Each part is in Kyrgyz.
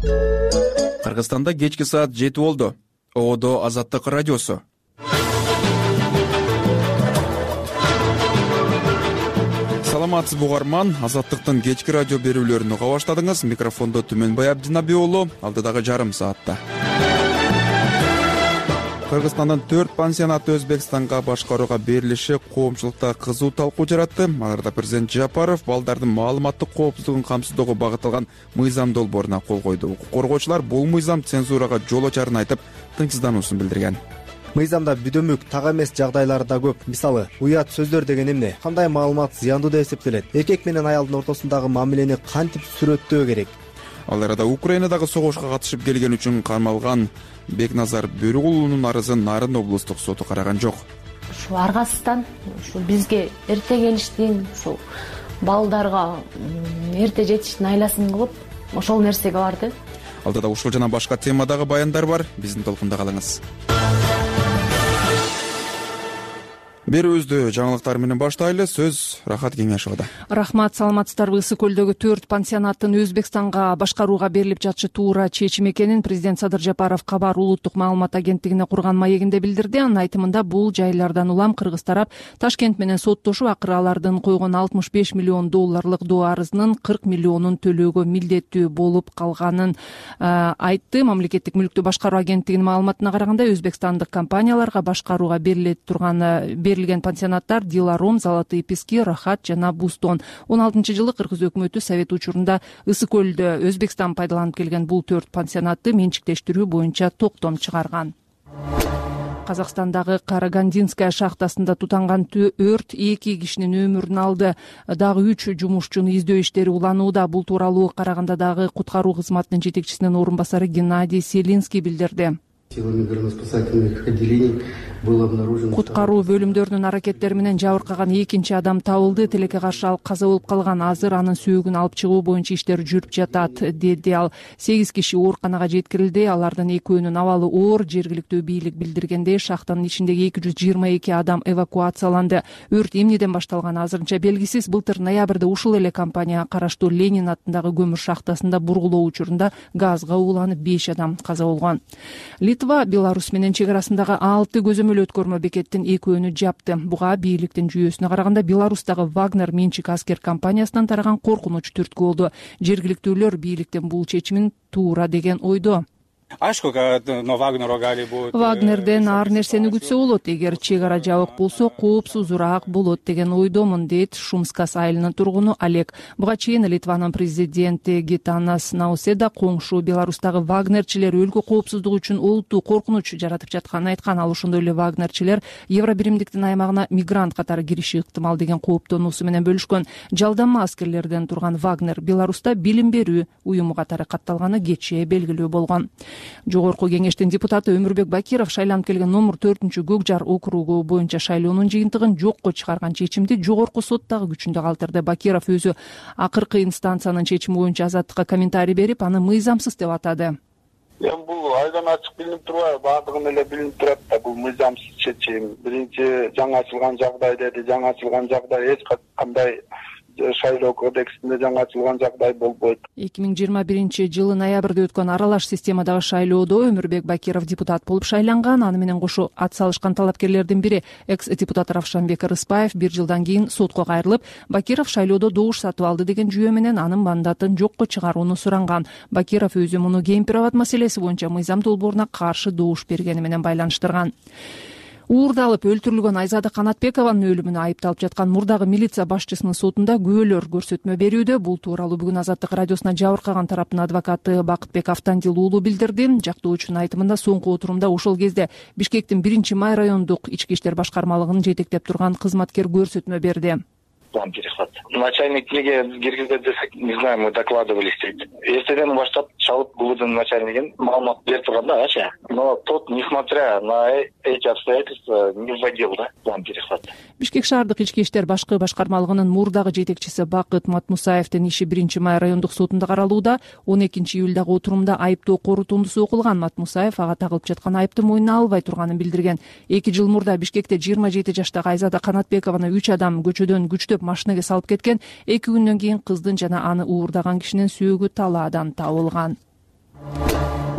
Кыргызстанда кечки саат 7 болду. Одо Азаттык радиосу. Саламатсызбы угарман, Азаттыктын кечки радио берүүлөрүнү уга баштадыңыз. Микрофондо Түмөнбай Абдинабий уулу, алдыдагы жарым саатта. Кыргызстандын 4 пансионаты Өзбекстанга башкарууга берилиши коомчулукта кызуу талкуу жаратты. Аларда президент Жапаров балдардын маалыматтык коопсуздугун камсыздоого багытталган мыйзам долбооруна кол койду. Укук коргоочулар бул мыйзам цензурага жол ачарын айтып, тынчсыздануусун билдирген. Мыйзамда бүдөмүк, так эмес жагдайлар да көп. Мисалы, уят сөздөр деген эмне? Кандай маалымат зыяндуу деп эсептелет? Эркек менен аялдын ортосундагы мамилени кантип сүрөттөө керек? Ал арада Украинадагы согушка катышып келген үчүн камалган Бекназар Бөрүгулунун арызын Нарын облустук соту караган жок. Ушул аргасыздан ушул бизге эрте келиштин, ушул балдарга эрте жетиштин айласын кылып, ошол нерсеге барды. Алдыда ушул жана башка темадагы баяндар бар. Биздин толкунда калыңыз. Берүүбүздү жаңылыктар менен баштайлы. Сөз Рахат Кеңешовада. Рахмат, саламатсыздарбы? Ысык көлдөгү 4 пансионаттын Өзбекстанга башкарууга берилип жатышы туура чечим экенин президент Садыр Жапаров Кабар улуттук маалымат агенттигине курган маегинде билдирди. Анын айтымында бул жайлардан улам кыргыз тарап Ташкент менен соттошуп, акыры алардын койгон 65 миллион долларлык доо арызынын 40 миллионун төлөөгө милдеттүү болуп калганын айтты. Мамлекеттик мүлктү башкаруу агенттигинин маалыматына караганда, өзбекстандык компанияларга башкарууга берилген пансионаттар Диларом, Золотые пески, Рахат жана Бустон. 16-жылы кыргыз өкмөтү совет учурунда Ысык көлдө Өзбекстан пайдаланып келген бул 4 пансионатты менчиктештирүү боюнча токтом чыгарган. Казакстандагы Карагандинская шахтасында тутанган өрт 2 кишинин өмүрүн алды. Дагы 3 жумушчуну издөө иштери уланууда. Бул тууралуу Карагандадагы куткаруу кызматынын жетекчисинин орун басары Геннадий Селинский билдирди. Куткаруу бөлүмдөрүнүн аракеттери менен жабыркаган 2 адам табылды. Тилекке каршы ал каза болуп калган. Азыр анын сөөгүн алып чыгуу боюнча иштер жүрүп жатат, деди ал. 8 киши ооруканага жеткирилди. Алардын 2-өөнүн абалы оор. Жергиликтүү бийлик билдиргендей, шахтанын ичиндеги 222 адам эвакуацияланды. Өрт эмнеден башталганы азырынча белгисиз. Былтыр ноябрда ушул эле компанияга караштуу Ленин атындагы көмүр шахтасында бургулоо учурунда газга ууланып 5 адам каза болгон. Литва Беларусь менен чек арасындагы 6 көзөмөл өткөрмө бекеттин 2-өөнү жапты. Буга бийликтин жүйөсүнө караганда Беларустагы Вагнер менчик аскер компаниясынан тараган коркунуч түрткү болду. Жергиликтүүлөр бийликтин бул чечимин туура деген ойдо. Вагнерден ар нерсени күтсө болот. Эгер чек ара жабык болсо, коопсузураак болот деген ойдомун, дейт Шумскас айылынын тургуну Олег. Буга чейин Литванын президенти Гитанас Науседа коңшу Беларустагы вагнерчилер өлкө коопсуздугу үчүн олуттуу коркунуч жаратып жатканын айткан. Ал ошондой эле вагнерчилер Евробиримдиктин аймагына мигрант катары кириши ыктымал деген кооптонуусу менен бөлүшкөн. Жалданма аскерлерден турган Вагнер Беларуста билим берүү уюму катары катталганы кечээ белгилүү болгон. Жогорку кеңештин депутаты Өмүрбек Бакиров шайланып келген номер 4-Көкжар округу боюнча шайлоонун жыйынтыгын жокко чыгарган чечимди жогорку соттагы күчүндө калтырды. Бакиров өзү акыркы инстанциянын чечими боюнча Азаттыкка комментарий берип, аны мыйзамсыз деп атады. Бул айдан ачык билинип турбайбы? Баардыгын эле билинип турат да, бул мыйзамсыз чечим. Биринчи жаңы ачылган жагдай деди. Жаңы ачылган жагдай эч кандай шайлоо кодексинде жаңы ачылган жагдай болбойт. 2021-жылы ноябрда өткөн аралаш системадагы шайлоодо Өмүрбек Бакиров депутат болуп шайланган. Аны менен кошо ат салышкан талапкерлердин бири экс-депутат Равшанбек Рыспаев 1 жылдан кийин сотко кайрылып, Бакиров шайлоодо добуш сатып алды деген жүйө менен анын мандатын жокко чыгарууну суранган. Бакиров өзү муну Кемпироват маселеси боюнча мыйзам долбооруна каршы добуш бергени менен байланыштырган. Уурдалып өлтүрүлгөн Айзада Канатбекованын өлүмүнө айыпталып жаткан мурдагы милиция башчысынын сотунда күбөлөр көрсөтмө берүүдө. Бул тууралуу бүгүн Азаттык радиосуна жабыркаган тараптын адвокаты Бакытбек Автандил уулу билдирди. Жактоочунун айтымында соңку отурумда ошол кезде Бишкектин 1-Май райондук ички иштер башкармалыгын жетектеп турган кызматкер көрсөтмө берди. План перехват. Начальник неге киргизет десек, не знаю, мы докладывались. Эртеден баштап чалып клубдун начальнигин маалымат берип турганда, но тот, несмотря на эти обстоятельства, не вводил, да, план перехвата. Бишкек шаардык ички иштер башкы башкармалыгынын мурдагы жетекчиси Бакыт Матмусаевдин иши 1-Май райондук сотунда каралууда. 12-июлдагы отурумда айыптоо корутундусу окулган. Матмусаев ага тагылып жаткан айыпты мойнуна албай турганын билдирген. 2 жыл мурда Бишкекте 27 жаштагы Айзада Канатбекованы 3 адам көчөдөн күчтөп машинеге салып кеткен. 2 күндөн кийин кыздын жана аны уурдаган кишинин сөөгү талаадан табылган.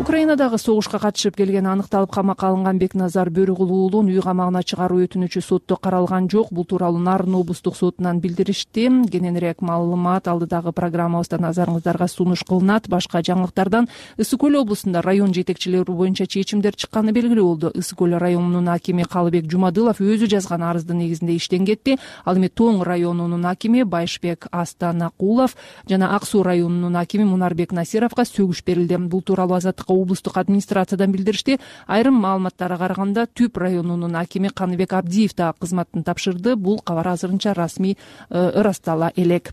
Украинадагы согушка катышып келгени аныкталып камакка алынган Бекназар Бөрүкулу уулун үй камагына чыгаруу өтүнүчү сотто каралган жок. Бул тууралуу Нарын облустук сотунан билдиришти. Кененирээк маалымат алдыдагы программабызда назарыңыздарга сунуш кылынат. Башка жаңылыктардан Ысык көл облусунда район жетекчилери боюнча чечимдер чыкканы белгилүү болду. Ысык көл районунун акими Калыбек Жумадылов өзү жазган арыздын негизинде иштен кетти. Ал эми Тоң районунун акими Байшбек Астанакулов жана Ак Суу районунун акими Мунарбек Насировго сөгүш берилди. Бул тууралуу Азаттыкка облустук администрациядан билдиришти. Айрым маалыматтарга караганда Түп районунун акими Каныбек Абдиев да кызматын тапшырды. Бул кабар азырынча расмий ырастала элек.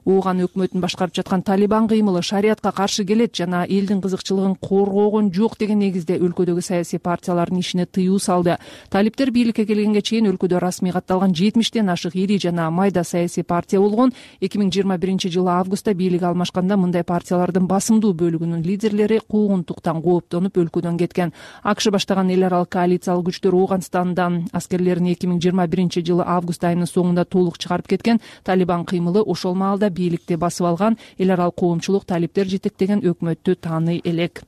Ооган өкмөтүн башкарып жаткан Талибан кыймылы шариятка каршы келет жана элдин кызыкчылыгын коргогон жок деген негизде өлкөдөгү саясий партиялардын ишине тыюу салды. Талиптер бийликке келгенге чейин өлкөдө расмий катталган 70тен ашык ири жана майда саясий партия болгон. 2021-жылы августта бийлик алмашканда мындай партиялардын басымдуу бөлүгүнүн лидерлери куугунтуктан кооптонуп өлкөдөн кеткен. АКШ баштаган эл аралык коалициялык күчтөр Ооганстандан аскерлерин 2021-жылы август айынын соңунда толук чыгарып кеткен. Талибан кыймылы ошол маалда бийликти басып алган. Эл аралык коомчулук талиптер жетектеген өкмөттү тааный элек.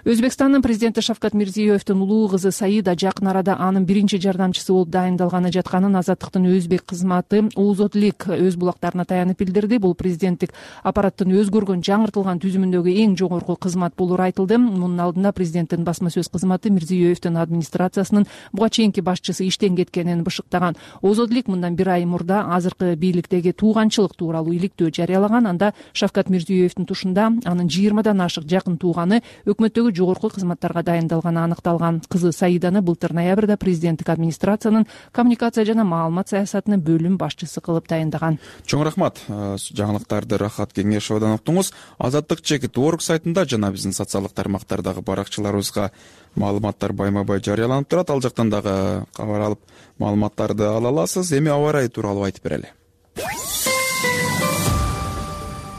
Өзбекстандын президенти Шавкат Мирзиёевдин улуу кызы Саида жакын арада анын биринчи жардамчысы болуп дайындалганы жатканын Азаттыктын өзбек кызматы Озодлик өз булактарына таянып билдирди. Бул президенттик аппараттын өзгөргөн жаңыртылган түзүмүндөгү эң жогорку кызмат болууру айтылды. Мунун алдында президенттин басма сөз кызматы Мирзиёевдин администрациясынын буга чейинки башчысы иштен кеткенин бышыктаган. Озодлик мындан 1 ай мурда азыркы бийликтеги тууганчылык тууралуу иликтөө жарыялаган. Анда Шавкат Мирзиёевдин тушунда анын 20дан ашык жакын тууганы өкмөттөгү жогорку кызматтарга дайындалганы аныкталган. Кызы Саиданы былтыр ноябрда президенттик администрациянын коммуникация жана маалымат саясатынын бөлүм башчысы кылып дайындаган. Чоң рахмат. Жаңылыктарды Рахат Кеңешовдон уктуңуз. Азаттык чекит.org сайтында жана биздин социалдык тармактардагы баракчаларыбызга маалыматтар байма-бай жарыяланып турат. Ал жактан дагы кабар алып маалыматтарды ала аласыз. Эми аба ырайы тууралуу айтып берели.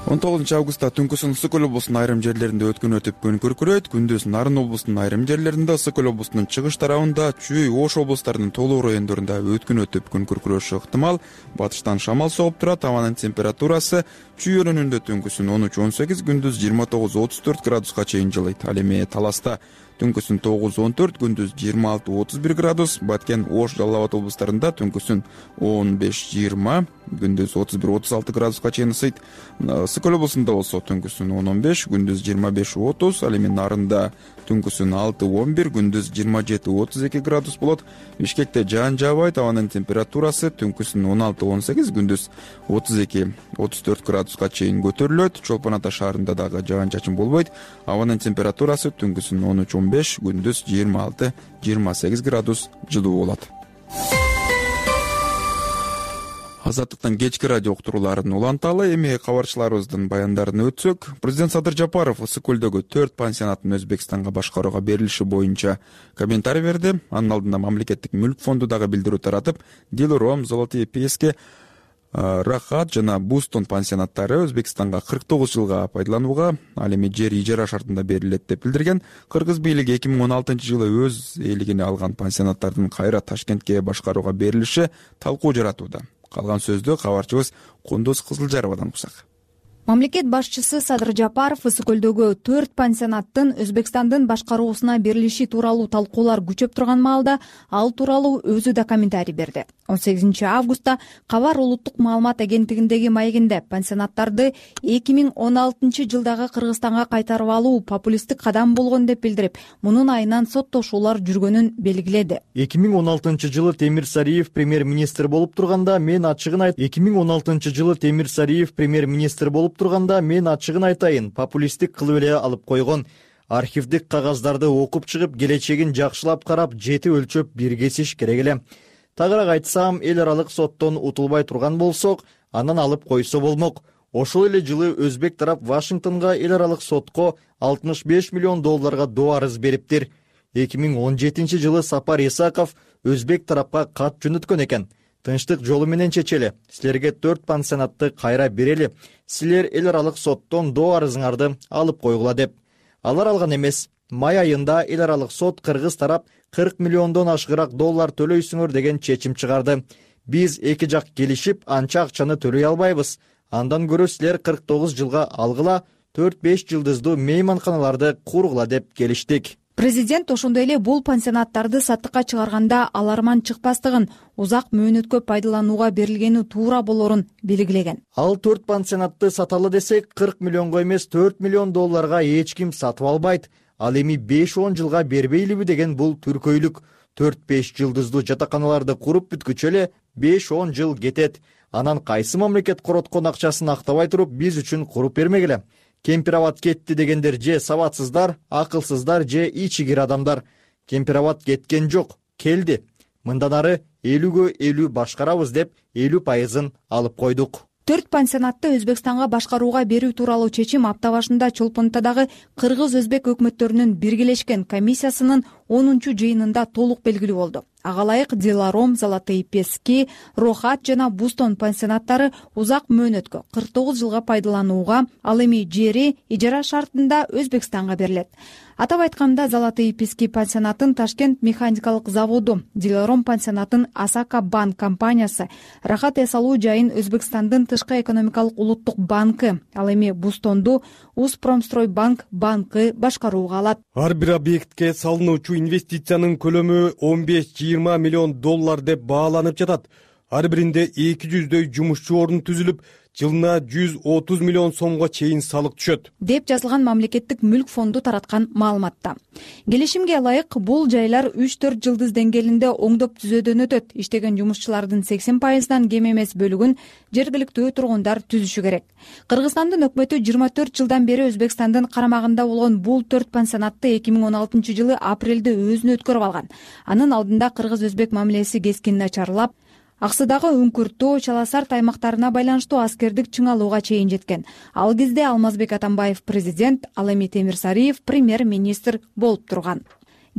19 августта түнкүсүн Ысык көл облусунун айрым жерлеринде өткөн өтүп күн күркүрөйт. Күндүз Нарын облусунун айрым жерлеринде, Ысык көл облусунун чыгыш тарабында, Чүй, Ош облустарынын толук райондорунда өткөн өтүп күн күркүрөшү ыктымал. Батыштан шамал согуп турат. Абанын температурасы Чүй өрөөнүндө түнкүсүн 13-18, күндүз 29-34 градуска чейин жылыйт. Ал эми Таласта түнкүсүн 9-14, күндүз 26-31 градус. Баткен, Ош, Жалал Абад облустарында түнкүсүн 15-20, күндүз 31-36 градуска чейин ысыйт. Ысык көл облусунда болсо түнкүсүн 10-15, күндүз 25-30, ал эми Нарында түнкүсүн 6-11, күндүз 27-32 градус болот. Бишкекте жаан жаабайт. Абанын температурасы түнкүсүн 16-18, күндүз 32-34 градуска чейин көтөрүлөт. Чолпон Ата шаарында дагы жаан чачын болбойт. Абанын температурасы түнкүсүн 13-15, күндүз 26-28 градус жылуу болот. Азаттыктан кечки радио уктурууларын уланталы. Эми кабарчыларыбыздын баяндарын өтсөк, президент Садыр Жапаров Ысык көлдөгү 4 пансионаттын Өзбекстанга башкарууга берилиши боюнча комментарий берди. Анын алдында мамлекеттик мүлк фонду дагы билдирүү таратып, Дилром, Золотые пески, Рахат жана Бустон пансионаттары Өзбекстанга 49 жылга пайдаланууга, ал эми жер ижара шартында берилет деп билдирген. Кыргыз бийлиги 2016-жылы өз ээлигине алган пансионаттардын кайра Ташкентке башкарууга берилиши талкуу жаратууда. Калган сөздү кабарчыбыз Кундуз Кызылжаровадан уксак. Мамлекет башчысы Садыр Жапаров Ысык көлдөгү 4 пансионаттын Өзбекстандын башкаруусуна берилиши тууралуу талкуулар күчөп турган маалда ал тууралуу өзү да комментарий берди. 18 августта Кабар улуттук маалымат агенттигиндеги маегинде пансионаттарды 2016 жылдагы Кыргызстанга кайтарып алуу популисттик кадам болгон деп билдирип, мунун айынан соттошуулар жүргөнүн белгиледи. 2016 жылы Темир Сариев премьер-министр болуп турганда мен ачыгын айт. 2016 жылы Темир Сариев премьер-министр болуп турганда мен ачыгын айтайын, популисттик кылып эле алып койгон. Архивдик кагаздарды окуп чыгып, келечегин жакшылап карап, жети өлчөп бир кесиш керек эле. Тагыраак айтсам, эл аралык соттон утулбай турган болсок, анан алып койсо болмок. Ошол эле жылы өзбек тарап Вашингтонго эл аралык сотко $65 миллион доо арыз бериптир. 2017 жылы Сапар Исаков өзбек тарапка кат жөнөткөн экен. Тынчтык жолу менен чечели. Силерге 4 пансионатты кайра берели. Силер эл аралык соттон доо арызыңарды алып койгула деп. Алар алган эмес. Май айында эл аралык сот Кыргыз тарап $40 миллиондон ашыгыраак доллар төлөйсүңөр деген чечим чыгарды. Биз эки жак келишип, анча акчаны төлөй албайбыз. Андан көрө силер 49 жылга алгыла, 4-5 жылдыздуу мейманканаларды кургула деп келиштик. Президент ошондой эле бул пансионаттарды саттыкка чыгарганда аларман чыкпастыгын, узак мөөнөткө пайдаланууга берилгени туура болорун белгилеген. Ал 4 пансионатты саталы десек, 40 миллионго эмес, 4 миллион долларга эч ким сатып албайт. Ал эми 5-10 жылга бербейлиби деген бул түркөйлүк. 4-5 жылдыздуу жатаканаларды куруп бүткүчө эле 5-10 жыл кетет. Анан кайсы мамлекет короткон акчасын актабай туруп биз үчүн куруп бермегиле? Кемпирабад кетти дегендер же сабатсыздар, акылсыздар, же ичигир адамдар. Кемпирабад кеткен жок, келди. Мындан ары 50гө 50 башкарабыз деп 50% алып койдук. 4 пансионатты Өзбекстанга башкарууга берүү тууралуу чечим апта башында Чолпонтадагы кыргыз-өзбек өкмөттөрүнүн биргелешкен комиссиясынын 10-жыйынында толук белгилүү болду. Ага ылайык Диларом, Золотые Пески, Рохат жана Бустон пансионаттары узак мөөнөткө 49 жылга пайдаланууга, ал эми жери ижара шартында Өзбекстанга берилет. Атап айтканда, Золотые Пески пансионатын Ташкент механикалык заводу, Диларом пансионатын Асака банк компаниясы, Рахат эс алуу жайын Өзбекстандын тышкы экономикалык улуттук банкы, ал эми Бустонду Успромстройбанк банкы башкарууга алат. Ар бир объектке салынуучу инвестициянын көлөмү 15-20 миллион доллар деп бааланып жатат. Ар биринде 200дөй жумушчу орун түзүлүп, жылына 130 миллион сомго чейин салык түшөт, деп жазылган мамлекеттик мүлк фонду тараткан маалыматта. Келишимге ылайык бул жайлар 3-4 жылдыз деңгээлинде оңдоп түзөөдөн өтөт. Иштеген жумушчулардын 80%дан кем эмес бөлүгүн жергиликтүү тургундар түзүшү керек. Кыргызстандын өкмөтү 24 жылдан бери Өзбекстандын карамагында болгон бул 4 пансионатты 2016 жылы апрелде өзүнө өткөрүп алган. Анын алдында кыргыз-өзбек мамилеси кескин начарлап, Аксыдагы Үңкүртүү, Чаласарт аймактарына байланыштуу аскердик чыңалууга чейин жеткен. Ал кезде Алмазбек Атамбаев президент, ал эми Темирсариев премьер-министр болуп турган.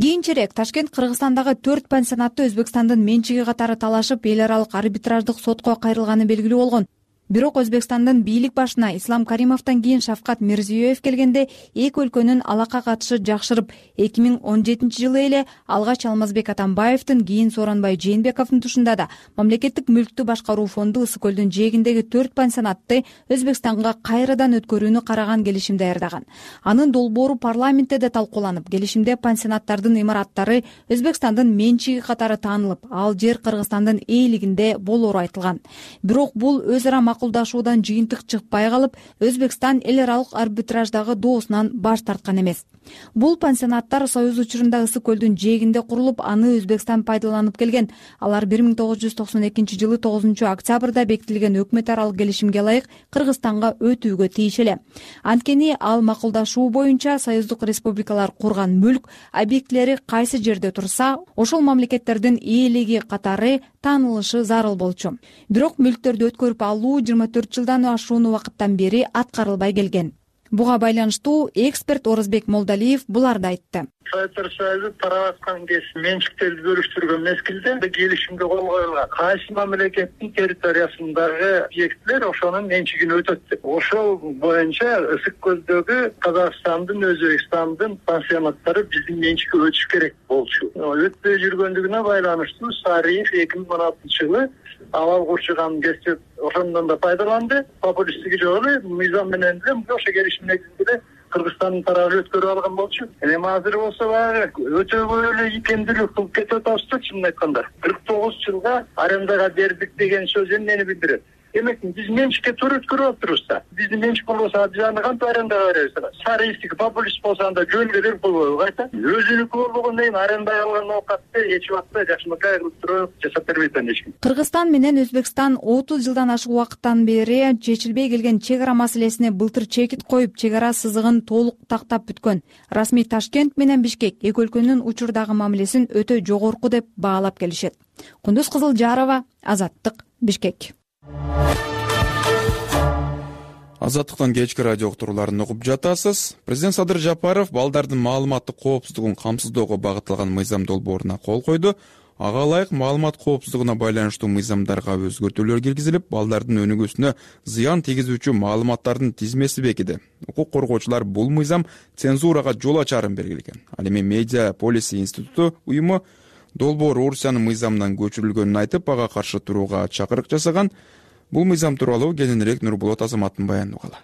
Кийинчерээк Ташкент Кыргызстандагы 4 пансионатты Өзбекстандын менчиги катары талашып, эл аралык арбитраждык сотко кайрылганы белгилүү болгон. Бирок Өзбекстандын бийлик башына Ислам Каримовдон кийин Шавкат Мирзиёев келгенде эки өлкөнүн алака катышы жакшырып, 2017 жылы эле алгач Алмазбек Атамбаевдин, кийин Сооронбай Жээнбековдун тушунда да мамлекеттик мүлктү башкаруу фонду Ысык көлдүн жээгиндеги 4 пансионатты Өзбекстанга кайрадан өткөрүүнү караган келишим даярдаган. Анын долбоору парламентте да талкууланып, келишимде пансионаттардын имараттары Өзбекстандын менчиги катары таанылып, ал жер Кыргызстандын ээлигинде болоору айтылган. Бирок бул өз ара макулдашуудан жыйынтык чыкпай калып, Өзбекстан эл аралык арбитраждагы доосунан баш тарткан эмес. Бул пансионаттар Союз учурунда Ысык көлдүн жээгинде курулуп, аны Өзбекстан пайдаланып келген. Алар 1992 жылы 9 октябрда бекитилген өкмөт аралык келишимге ылайык Кыргызстанга өтүүгө тийишлүү. Анткени ал макулдашуу боюнча союздук республикалар курган мүлк объектилери кайсы жерде турса, ошол мамлекеттердин ээлиги катары таанылышы зарыл болчу. Бирок мүлктөрдү өткөрүп алуу 24 жылдан ашуун убакыттан бери аткарылбай келген. Буга байланыштуу эксперт Орозбек Молдалиев буларды айтты. Советтер Союзу тарап аткан кез менчиктерди бөлүштүргөн мезгилде келишимге кол коюлган. Кайсы мамлекеттин территориясындагы объекттер ошонун менчигине өтөт деп. Ошол боюнча Ысык көлдөгү Казакстандын, Өзбекстандын пансионаттары биздин менчикке өтүш керек болчу. Өтпөй жүргөндүгүнө байланыштуу Сариев 2016 жылы авал курчуган кезде ошондон да пайдаланды. Популисттиги жок эле мыйзам менен эле ошо келишим негизинде Кыргызстандын тарабы өткөрүп алган болчу. Эми азыр болсо баягы өтөбөй эле икемдүүлүк кылып кетип атабыз да, чынын айтканда. 49 жылга арендага бердик деген сөз эмнени билдирет? Демек биз менчикке туура өткөрүп атырбыз да. Биздин менчик болбосо биз аны кантип арендага беребиз? Сариевдики популист болсо анда жөнгө берип койбойбу кайта? Өзүнүкү болгондон кийин арендага алган оокатты эч убакта жакшынакай кылып туруп жасап бербейт эч ким. Кыргызстан менен Өзбекстан 30 жылдан ашык убакыттан бери чечилбей келген чек ара маселесине былтыр чекит коюп, чек ара сызыгын толук тактап бүткөн. Расмий Ташкент менен Бишкек эки өлкөнүн учурдагы мамилесин өтө жогорку деп баалап келишет. Кундуз Кызылжарова, Азаттык, Бишкек. Азаттыктан кечки радио уктурууларын угуп жатасыз. Президент Садыр Жапаров балдардын маалыматтык коопсуздугун камсыздоого багытталган мыйзам долбооруна кол койду. Ага ылайык маалымат коопсуздугуна байланыштуу мыйзамдарга өзгөртүүлөр киргизилип, балдардын өнүгүүсүнө зыян тийгизүүчү маалыматтардын тизмеси бекиди. Укук коргоочулар бул мыйзам цензурага жол ачарын белгилеген. Ал эми Media Policy институту уюму долбоор Орусиянын мыйзамынан көчүрүлгөнүн айтып, ага каршы турууга чакырык жасаган. Бул мыйзам тууралуу кененирээк Нурболот Азаматтын баянын угалы.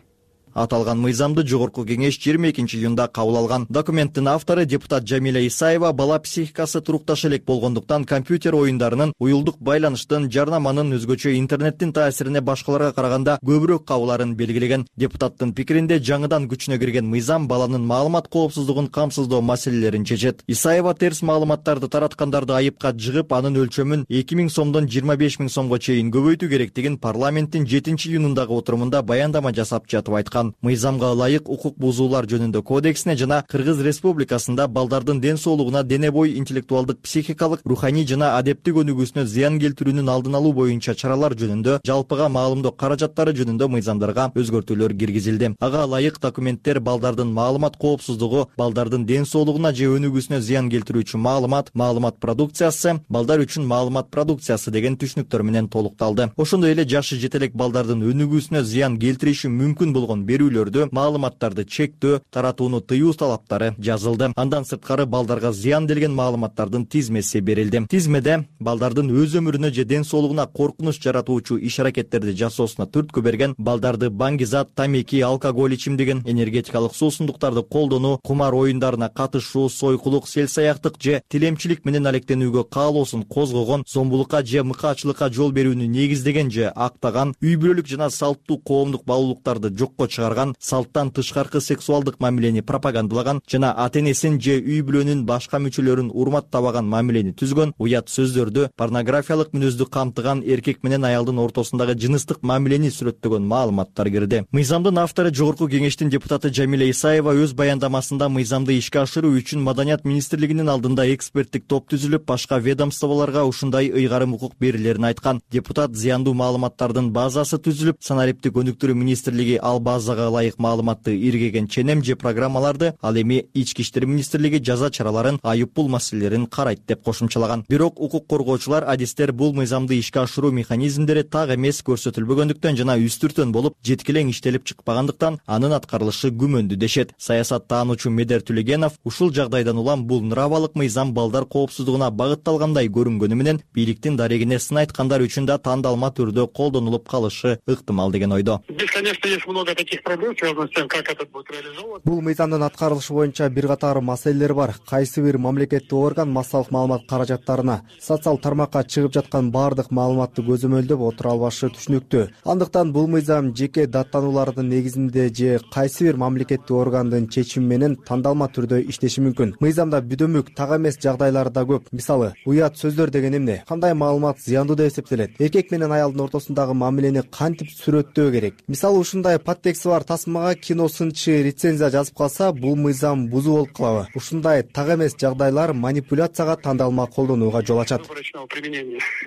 Аталган мыйзамды жогорку кеңеш 22 июнда кабыл алган. Документтин автору депутат Жамиля Исаева бала психикасы турукташ элек болгондуктан компьютер оюндарынын, уюлдук байланыштын, жарнаманын, өзгөчө интернеттин таасирине башкаларга караганда көбүрөөк кабыларын белгилеген. Депутаттын пикиринде жаңыдан күчүнө кирген мыйзам баланын маалымат коопсуздугун камсыздоо маселелерин чечет. Исаева терс маалыматтарды тараткандарды айыпка жыгып, анын өлчөмүн 2000 сомдон 25 000 сомго чейин көбөйтүү керектигин парламенттин 7-июнундагы отурумунда баяндама жасап жатып айткан. Мыйзамга ылайык укук бузуулар жөнүндө кодексине жана Кыргыз Республикасында балдардын ден соолугуна, дене бой, интеллектуалдык, психикалык, руханий жана адептик өнүгүүсүнө зыян келтирүүнүн алдын алуу боюнча чаралар жөнүндө жалпыга маалымдоо каражаттары жөнүндө мыйзамдарга өзгөртүүлөр киргизилди. Ага ылайык документтер балдардын маалымат коопсуздугу, балдардын ден соолугуна же өнүгүүсүнө зыян келтирүүчү маалымат продукциясы, балдар үчүн маалымат продукциясы деген түшүнүктөр менен толукталды. Ошондой эле жашы жете элек балдардын өнүгүүсүнө зыян келтириши мүмкүн болгон берүүлөрдү, маалыматтарды чектөө, таратууну тыюу талаптары жазылды. Андан сырткары балдарга зыян делген маалыматтардын тизмеси берилди. Тизмеде балдардын өз өмүрүнө же ден соолугуна коркунуч жаратуучу иш-аракеттерди жасоосуна түрткү берген, балдарды баңгизат, тамеки, алкоголь ичимдигин, энергетикалык суусундуктарды колдонуу, кумар оюндарына катышуу, сойкулук, селсаяктык же тилемчилик менен алектенүүгө каалоосун козгогон, зомбулукка же мыкаачылыкка жол берүүнү негиздеген же актаган, үй бүлөлүк жана салттуу коомдук баалуулуктарды жокко чыгарган, салттан тышкаркы сексуалдык мамилени пропагандалаган жана ата-энесин же үй бүлөнүн башка мүчөлөрүн урматтабаган мамилени түзгөн, уят сөздөрдү, порнографиялык мүнөздү камтыган, эркек менен аялдын ортосундагы жыныстык мамилени сүрөттөгөн маалыматтар кирди. Мыйзамдын автору жогорку кеңештин депутаты Жамиля Исаева өз баяндамасында мыйзамды ишке ашыруу үчүн Маданият министрлигинин алдында эксперттик топ түзүлүп, башка ведомстволорго ушундай ыйгарым укук берилерин айткан. Депутат зыяндуу маалыматтардын базасы түзүлүп, санариптик өнүктүрүү министрлиги ал базага ылайык маалыматты иргеген ченем же программаларды, ал эми Ички иштер министрлиги жаза чараларын, айып пул маселелерин карайт деп кошумчалаган. Бирок укук коргоочулар, адистер бул мыйзамды ишке ашыруу механизмдери так эмес көрсөтүлбөгөндүктөн жана үстүртөн болуп, жеткилең иштелип чыкпагандыктан анын аткарылышы күмөндүү дешет. Саясаттаануучу Медер Түлегенов ушул жагдайдан улам бул нравалык мыйзам балдар коопсуздугуна багытталгандай көрүнгөнү менен бийликтин дарегине сын айткандар үчүн да тандалма түрдө колдонулуп калышы ыктымал деген ойдо. Здесь, конечно, есть много таких проблем, связанных с тем, как это будет реализовано. Бул мыйзамдын аткарылышы боюнча бир катар маселелер бар. Кайсы бир мамлекеттик орган массалык маалымат каражаттарына, социал тармакка чыгып жаткан баардык маалыматты көзөмөлдөп отура албашы түшүнүктүү. Андыктан бул мыйзам жеке даттануулардын негизинде же кайсы бир мамлекеттик органдын чечими менен тандалма түрдө иштеши мүмкүн. Мыйзамда бүдөмүк, так эмес жагдайлар да көп. Мисалы, уят сөздөр деген эмне? Кандай маалымат зыяндуу деп эсептелет? Эркек менен аялдын ортосундагы мамилени кантип сүрөттөө керек? Мисалы, ушундай подтексти бар тасмага кино сынчы рецензия жазып калса, бул мыйзам бузуу болуп калабы? Ушундай так эмес жагдайлар манипуляцияга, тандалма колдонууга жол ачат.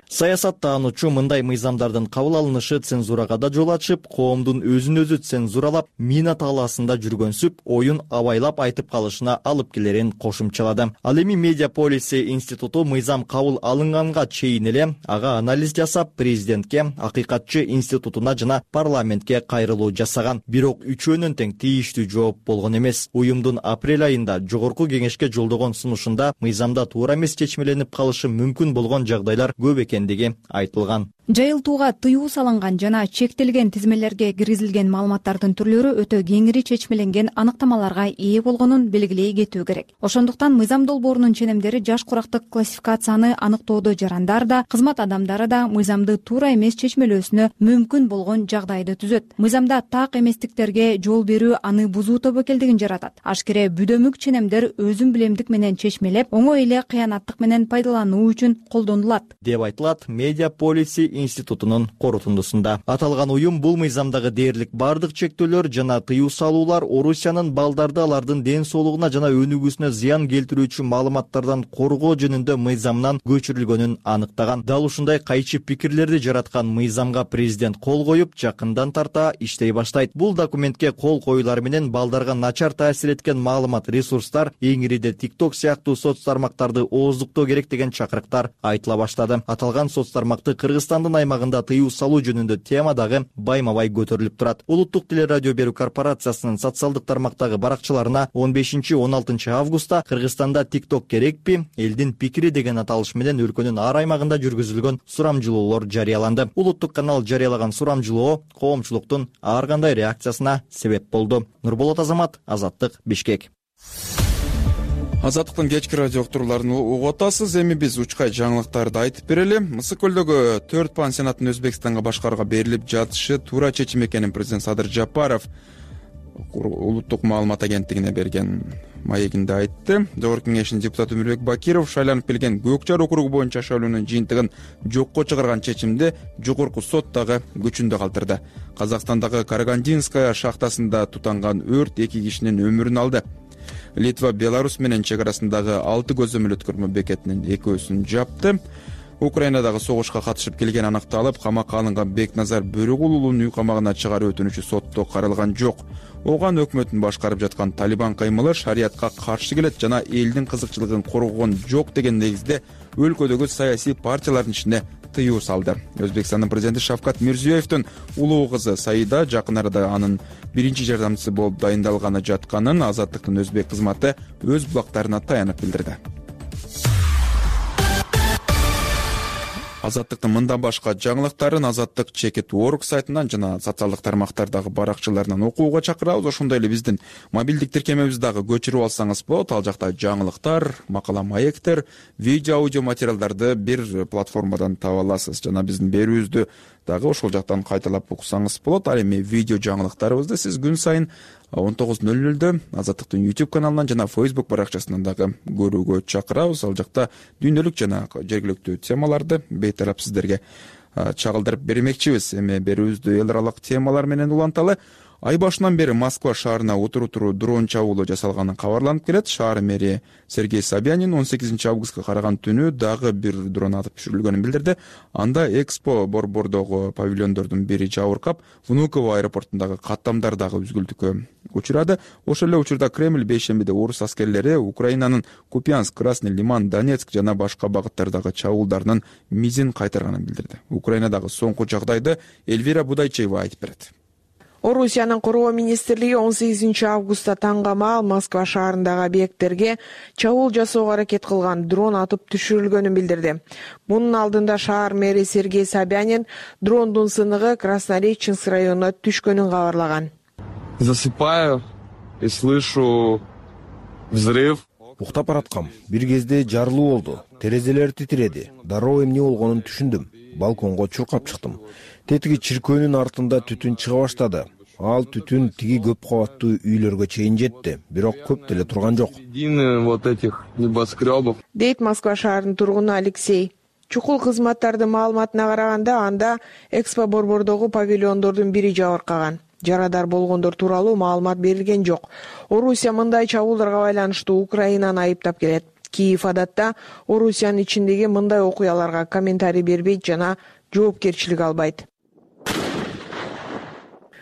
Саясаттаануучу мындай мыйзамдардын кабыл алынышы цензурага да жол ачып, коомдун өзүн өзү цензуралап, мина таалаасында жүргөнсүп, оюн абайлап айтып калышына алып келерин кошумчалады. Ал эми Медиа Policy институту мыйзам кабыл алынганга чейин эле ага анализ жасап, президентке, акыйкатчы институтуна жана парламентке кайрылуу жасаган. Бирок үчөөнүн тең тийиштүү жооп болгон эмес. Уюмдун апрель айында жогорку кеңешке жолдогон сунушунда мыйзамда туура эмес чечмеленип калышы мүмкүн болгон жагдайлар көп экендиги айтылган. Жайылтууга тыюу салынган жана чектелген тизмелерге киргизилген маалыматтардын түрлөрү өтө кеңири чечмеленген аныктамаларга ээ болгонун белгилей кетүү керек. Ошондуктан мыйзам долбоорунун ченемдери жаш курактык классификацияны аныктоодо жарандар да, кызмат адамдары да мыйзамды туура эмес чечмелөөсүнө мүмкүн болгон жагдайды түзөт. Мыйзамда так эместиктерге жол берүү аны бузуу тобокелдигин жаратат. Ашкере бүдөмүк ченемдер өзүн билемдик менен чечмелеп, оңой эле кыянаттык менен пайдалануу үчүн колдонулат, деп айтылат Медиа Policy институтунун корутундусунда. Аталган уюм бул мыйзамдагы дээрлик бардык чектөөлөр жана тыюу салуулар Орусиянын балдарды алардын ден соолугуна жана өнүгүүсүнө зыян келтирүүчү маалыматтардан коргоо жөнүндө мыйзамнан көчүрүлгөнүн аныктаган. Дал ушундай кайчы пикирлерди жараткан мыйзамга президент кол коюп, жакындан тарта иштей баштайт. Бул документке кол коюлар менен балдарга начар таасир эткен маалымат ресурстар, эңириде TikTok сыяктуу соц тармактарды ооздуктоо керек деген чакырыктар айтыла баштады. Аталган соц тармакты Кыргызстандын аймагында тыюу салуу жөнүндө тема дагы байма-бай көтөрүлүп турат. Улуттук телерадио берүү корпорациясынын социалдык тармактагы баракчаларына 15-16 августта Кыргызстанда TikTok керекпи? Элдин пикири деген аталыш менен өлкөнүн ар аймагында жүргүзүлгөн сурамжылоолор жарыяланды. Улуттук канал жарыялаган сурамжылоо коомчулуктун ар кандай реакция реакциясына себеп болду. Нурболот Азамат, Азаттык, Бишкек. Азаттыктын кечки радио уктурууларын угуп атасыз. Эми биз учкай жаңылыктарды айтып берели. Мысык көлдөгү 4 пансионаттын Өзбекстанга башкарууга берилип жатышы туура чечим экенин президент Садыр Жапаров улуттук маалымат агенттигине берген маегинде айтты. Жогорку кеңештин депутаты Өмүрбек Бакиров шайланып келген Көк Жар округу боюнча шайлоонун жыйынтыгын жокко чыгарган чечимди жогорку сот дагы күчүндө калтырды. Казакстандагы Карагандинская шахтасында тутанган өрт 2 кишинин өмүрүн алды. Литва Беларусь менен чек арасындагы 6 көзөмөл өткөрмө бекетинин экөөсүн жапты. Украинадагы согушка катышып келгени аныкталып, камакка алынган Бекназар Бөрөгул уулун үй камагына чыгаруу өтүнүчү сотто каралган жок. Оган өкмөттүн башкарып жаткан Талибан каймылы шариятка каршы келет жана элдин кызыкчылыгын коргогон жок деген негизде өлкөдөгү саясий партиялардын ичине тыюу салды. Өзбекстандын президенти Шавкат Мирзиёевдин улуу кызы Саида жакын арада анын биринчи жардамчысы болуп дайындалганы жатканын Азаттыктын өзбек кызматы өз булактарына таянып билдирди. Азаттыктын мындан башка жаңылыктарын Азаттык Чекит.org сайтынан жана социалдык тармактардагы баракчаларынан окууга чакырабыз. Ошондой эле биздин мобилдик тиркемебизди дагы көчүрүп алсаңыз болот. Ал жакта жаңылыктар, макала маектер, видео аудио материалдарды бир платформадан таба аласыз. Жана биздин берүүбүздү дагы ошол жактан кайталап уксаңыз болот. Ал эми видео жаңылыктарыбызды сиз күн сайын 19:00 Азаттыктын YouTube каналынан жана Facebook баракчасынан дагы көрүүгө чакырабыз. Ал жакта дүйнөлүк жана жергиликтүү темаларды бейтарап сиздерге чагылдырып бермекчибиз. Эми берүүбүздү эл аралык темалар менен уланталы. Ай башынан бери Москва шаарына отуруу дрон чабуулу жасалганы кабарланып келет. Шаар мэри Сергей Собянин 18 августка караган түнү дагы бир дрон атып түшүрүлгөнүн билдирди. Анда Экспо борбордогу павильондордун бири жабыркап, Внуково аэропортундагы каттамдар дагы үзгүлтүккө учурады. Ошол эле учурда Кремль бейшембиде орус аскерлери Украинанын Купянск, Красный Лиман, Донецк жана башка багыттардагы чабуулдарынын мизин кайтарганын билдирди. Украинадагы соңку жагдайды Эльвира Будайчева айтып берет. Орусиянын коргоо министрлиги 18 августта таңгамаал Москва шаарындагы объекттерге чабуул жасоого аракет кылган дрон атып түшүрүлгөнүн билдирди. Мунун алдында шаар мэри Сергей Собянин дрондун сыныгы Краснореченск районуна түшкөнүн кабарлаган. Засыпаю и слышу взрыв. Уктап бараткам. Бир кезде жарылуу болду. Терезелер титиреди. Дароо эмне болгонун түшүндүм. Балконго чуркап чыктым. Тетиги чиркөөнүн артында түтүн чыга баштады. Ал түтүн тиги көп кабаттуу үйлөргө чейин жетти, бирок көп деле турган жок. Вот этих небоскребов. Дейт Москва шаарынын тургуну Алексей. Чукул кызматтардын маалыматына караганда анда Экспо борбордогу павильондордун бири жабыркаган. Жарадар болгондор тууралуу маалымат берилген жок. Орусия мындай чабуулдарга байланыштуу Украинаны айыптап келет. Киев адатта Орусиянын ичиндеги мындай окуяларга комментарий бербейт жана жоопкерчилик албайт.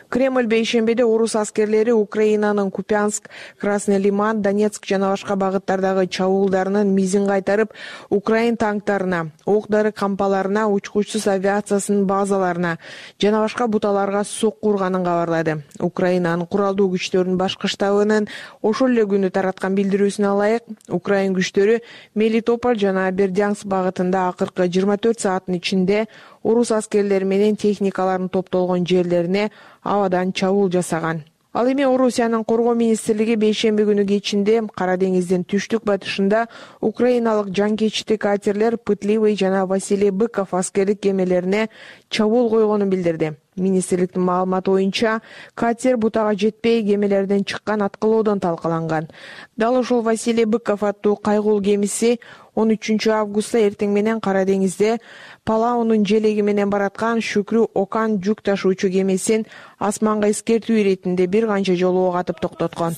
Кремль бейшембиде орус аскерлери Украинанын Купянск, Красный Лиман, Донецк жана башка багыттардагы чабуулдарынын мизин кайтарып, Украин танктарына, ок-дары кампаларына, учкучсуз авиациясынын базаларына жана башка буталарга сокку урганын кабарлады. Украинанын куралдуу күчтөрүнүн башкы штабынын ошол эле күнү тараткан билдирүүсүнө ылайык, Украин күчтөрү Мелитополь жана Бердянск багытында акыркы 24 сааттын ичинде орус аскерлери менен техникаларын топтолгон жерлерине абадан чабуул жасаган. Ал эми Орусиянын коргоо министрлиги бейшемби күнү кечинде Кара деңиздин түштүк батышында украиналык жанкечти катерлер Пытливый жана Василий Быков аскерлик кемелерине чабуул койгонун билдирди. Министрликтин маалыматы боюнча, катер бутага жетпей кемелерден чыккан аткылоодон талкаланган. Дал ошол Василий Быков аттуу кайгуул кемиси 13 августта эртең менен Кара деңизде Палаунун желеги менен бараткан Шүкрү Окан жүк ташуучу кемесин асманга эскертүү иретинде бир канча жолу ок атып токтоткон.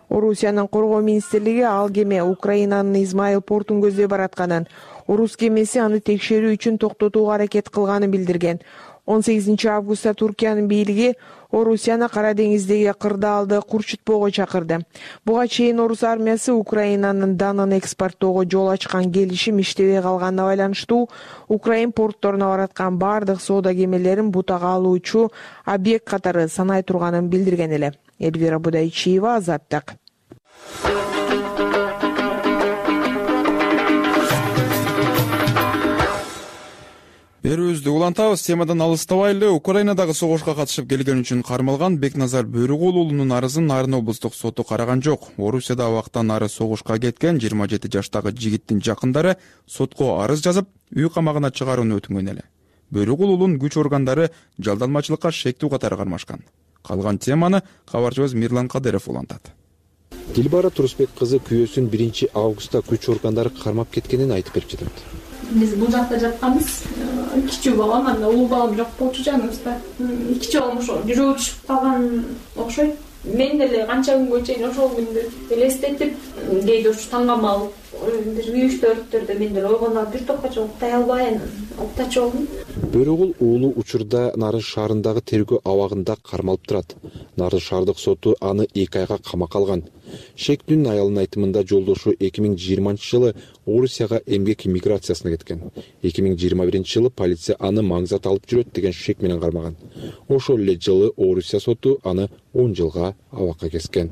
Орусиянын коргоо министрлиги ал кеме Украинанын Измаил портун көздөй баратканын, орус кемеси аны текшерүү үчүн токтотууга аракет кылганын билдирген. 18 августта Туркиянын бийлиги Орусияны Кара деңиздеги кырдаалды курчутпоого чакырды. Буга чейин орус армиясы Украинанын данын экспорттоого жол ачкан келишим иштебей калганына байланыштуу Украин портторуна бараткан бардык соода кемелерин бутага алуучу объект катары санай турганын билдирген эле. Эльвира Будайчиева, Азаттык. Берүүбүздү улантабыз. Темадан алыстабайлы. Украинадагы согушка катышып келген үчүн кармалган Бекназар Бөрүгул уулунун арызын Нарын облустук соту караган жок. Орусияда абактан ары согушка кеткен 27 жаштагы жигиттин жакындары сотко арыз жазып, үй камагына чыгарууну өтүнгөн эле. Бөрүгул уулунун күч органдары жалданмачылыкка шектүү катары кармашкан. Калган теманы кабарчыбыз Мирлан Кадыров улантат. Дилбара Турусбек кызы күйөөсүн 1 августта күч органдары кармап кеткенин айтып берип жатат. Биз бул жакта жатканбыз. Кичүү балам, анда улуу балам жок болчу жаныбызда. Кичүү балам ошо жүрөгү түшүп калган окшойт. Мен деле канча күнгө чейин ошол күндү элестетип, кээде ушу таңгама алып, бир 3-4 мен деле ойгонуп бир топко чейин уктай албай, уктачу болдум. Бөрүгул уулу учурда Нарын шаарындагы тергөө абагында кармалып турат. Нарын шаардык соту аны 2 айга камакка алган. Шектүүнүн аялынын айтымында жолдошу 2020-жылы Орусияга эмгек миграциясына кеткен. 2021-жылы полиция аны маңзат алып жүрөт деген шек менен кармаган. Ошол эле жылы Орусия соту аны 10 жылга абакка кескен.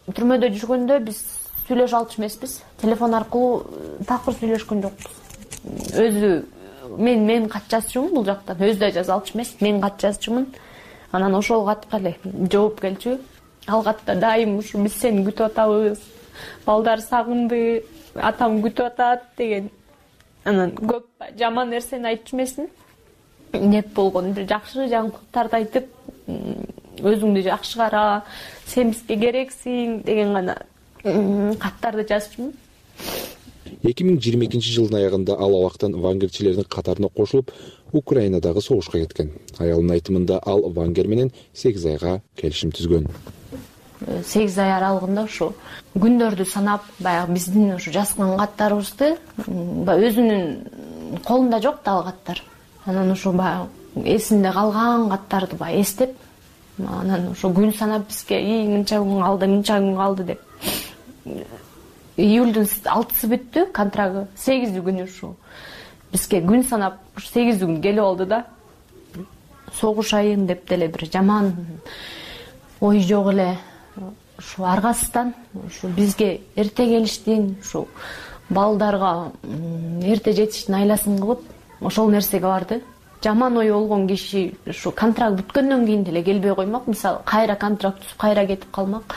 Түрмөдө жүргөндө биз сүйлөшө алчу эмеспиз. Телефон аркылуу такыр сүйлөшкөн жокпуз. Өзү мен кат жазчумун бул жактан, өзү да жаза алчу эмес. Мен кат жазчумун. Анан ошол катка эле жооп келчү. Ал катта дайым ушу биз сени күтүп атабыз. Балдар сагынды, атам күтүп атат деген. Анан көп жаман нерсени айтчу эмесин. Деп болгон бир жакшы жаңылыктарды айтып, өзүңдү жакшы кара, сен бизге керексиң деген гана каттарды жазчумун. 2022-жылдын аягында ал абактан вангерчилердин катарына кошулуп, Украинадагы согушка кеткен. Аялынын айтымында ал вангер менен 8 айга келишим түзгөн. 8 ай аралыгында ушу күндөрдү санап, баягы биздин ушу жазган каттарыбызды өзүнүн колунда жок да ал каттар. Анан ушу баягы эсинде калган каттарды баягы эстеп, анан ушу күн санап бизге мынча күн калды деп. Июлдун 6-сы бүттү контрагы, 8 күнү ушу бизге күн санап 8 күн келип алды да. Согуш айын деп деле бир жаман ой жок эле. Ушу аргасыздан ушу бизге эрте келиштин, ушу балдарга эрте жетиштин айласын кылып, ошол нерсеге барды. Жаман ой болгон киши ушу контракт бүткөндөн кийин деле келбей коймак. Мисалы, кайра контракт түзүп, кайра кетип калмак.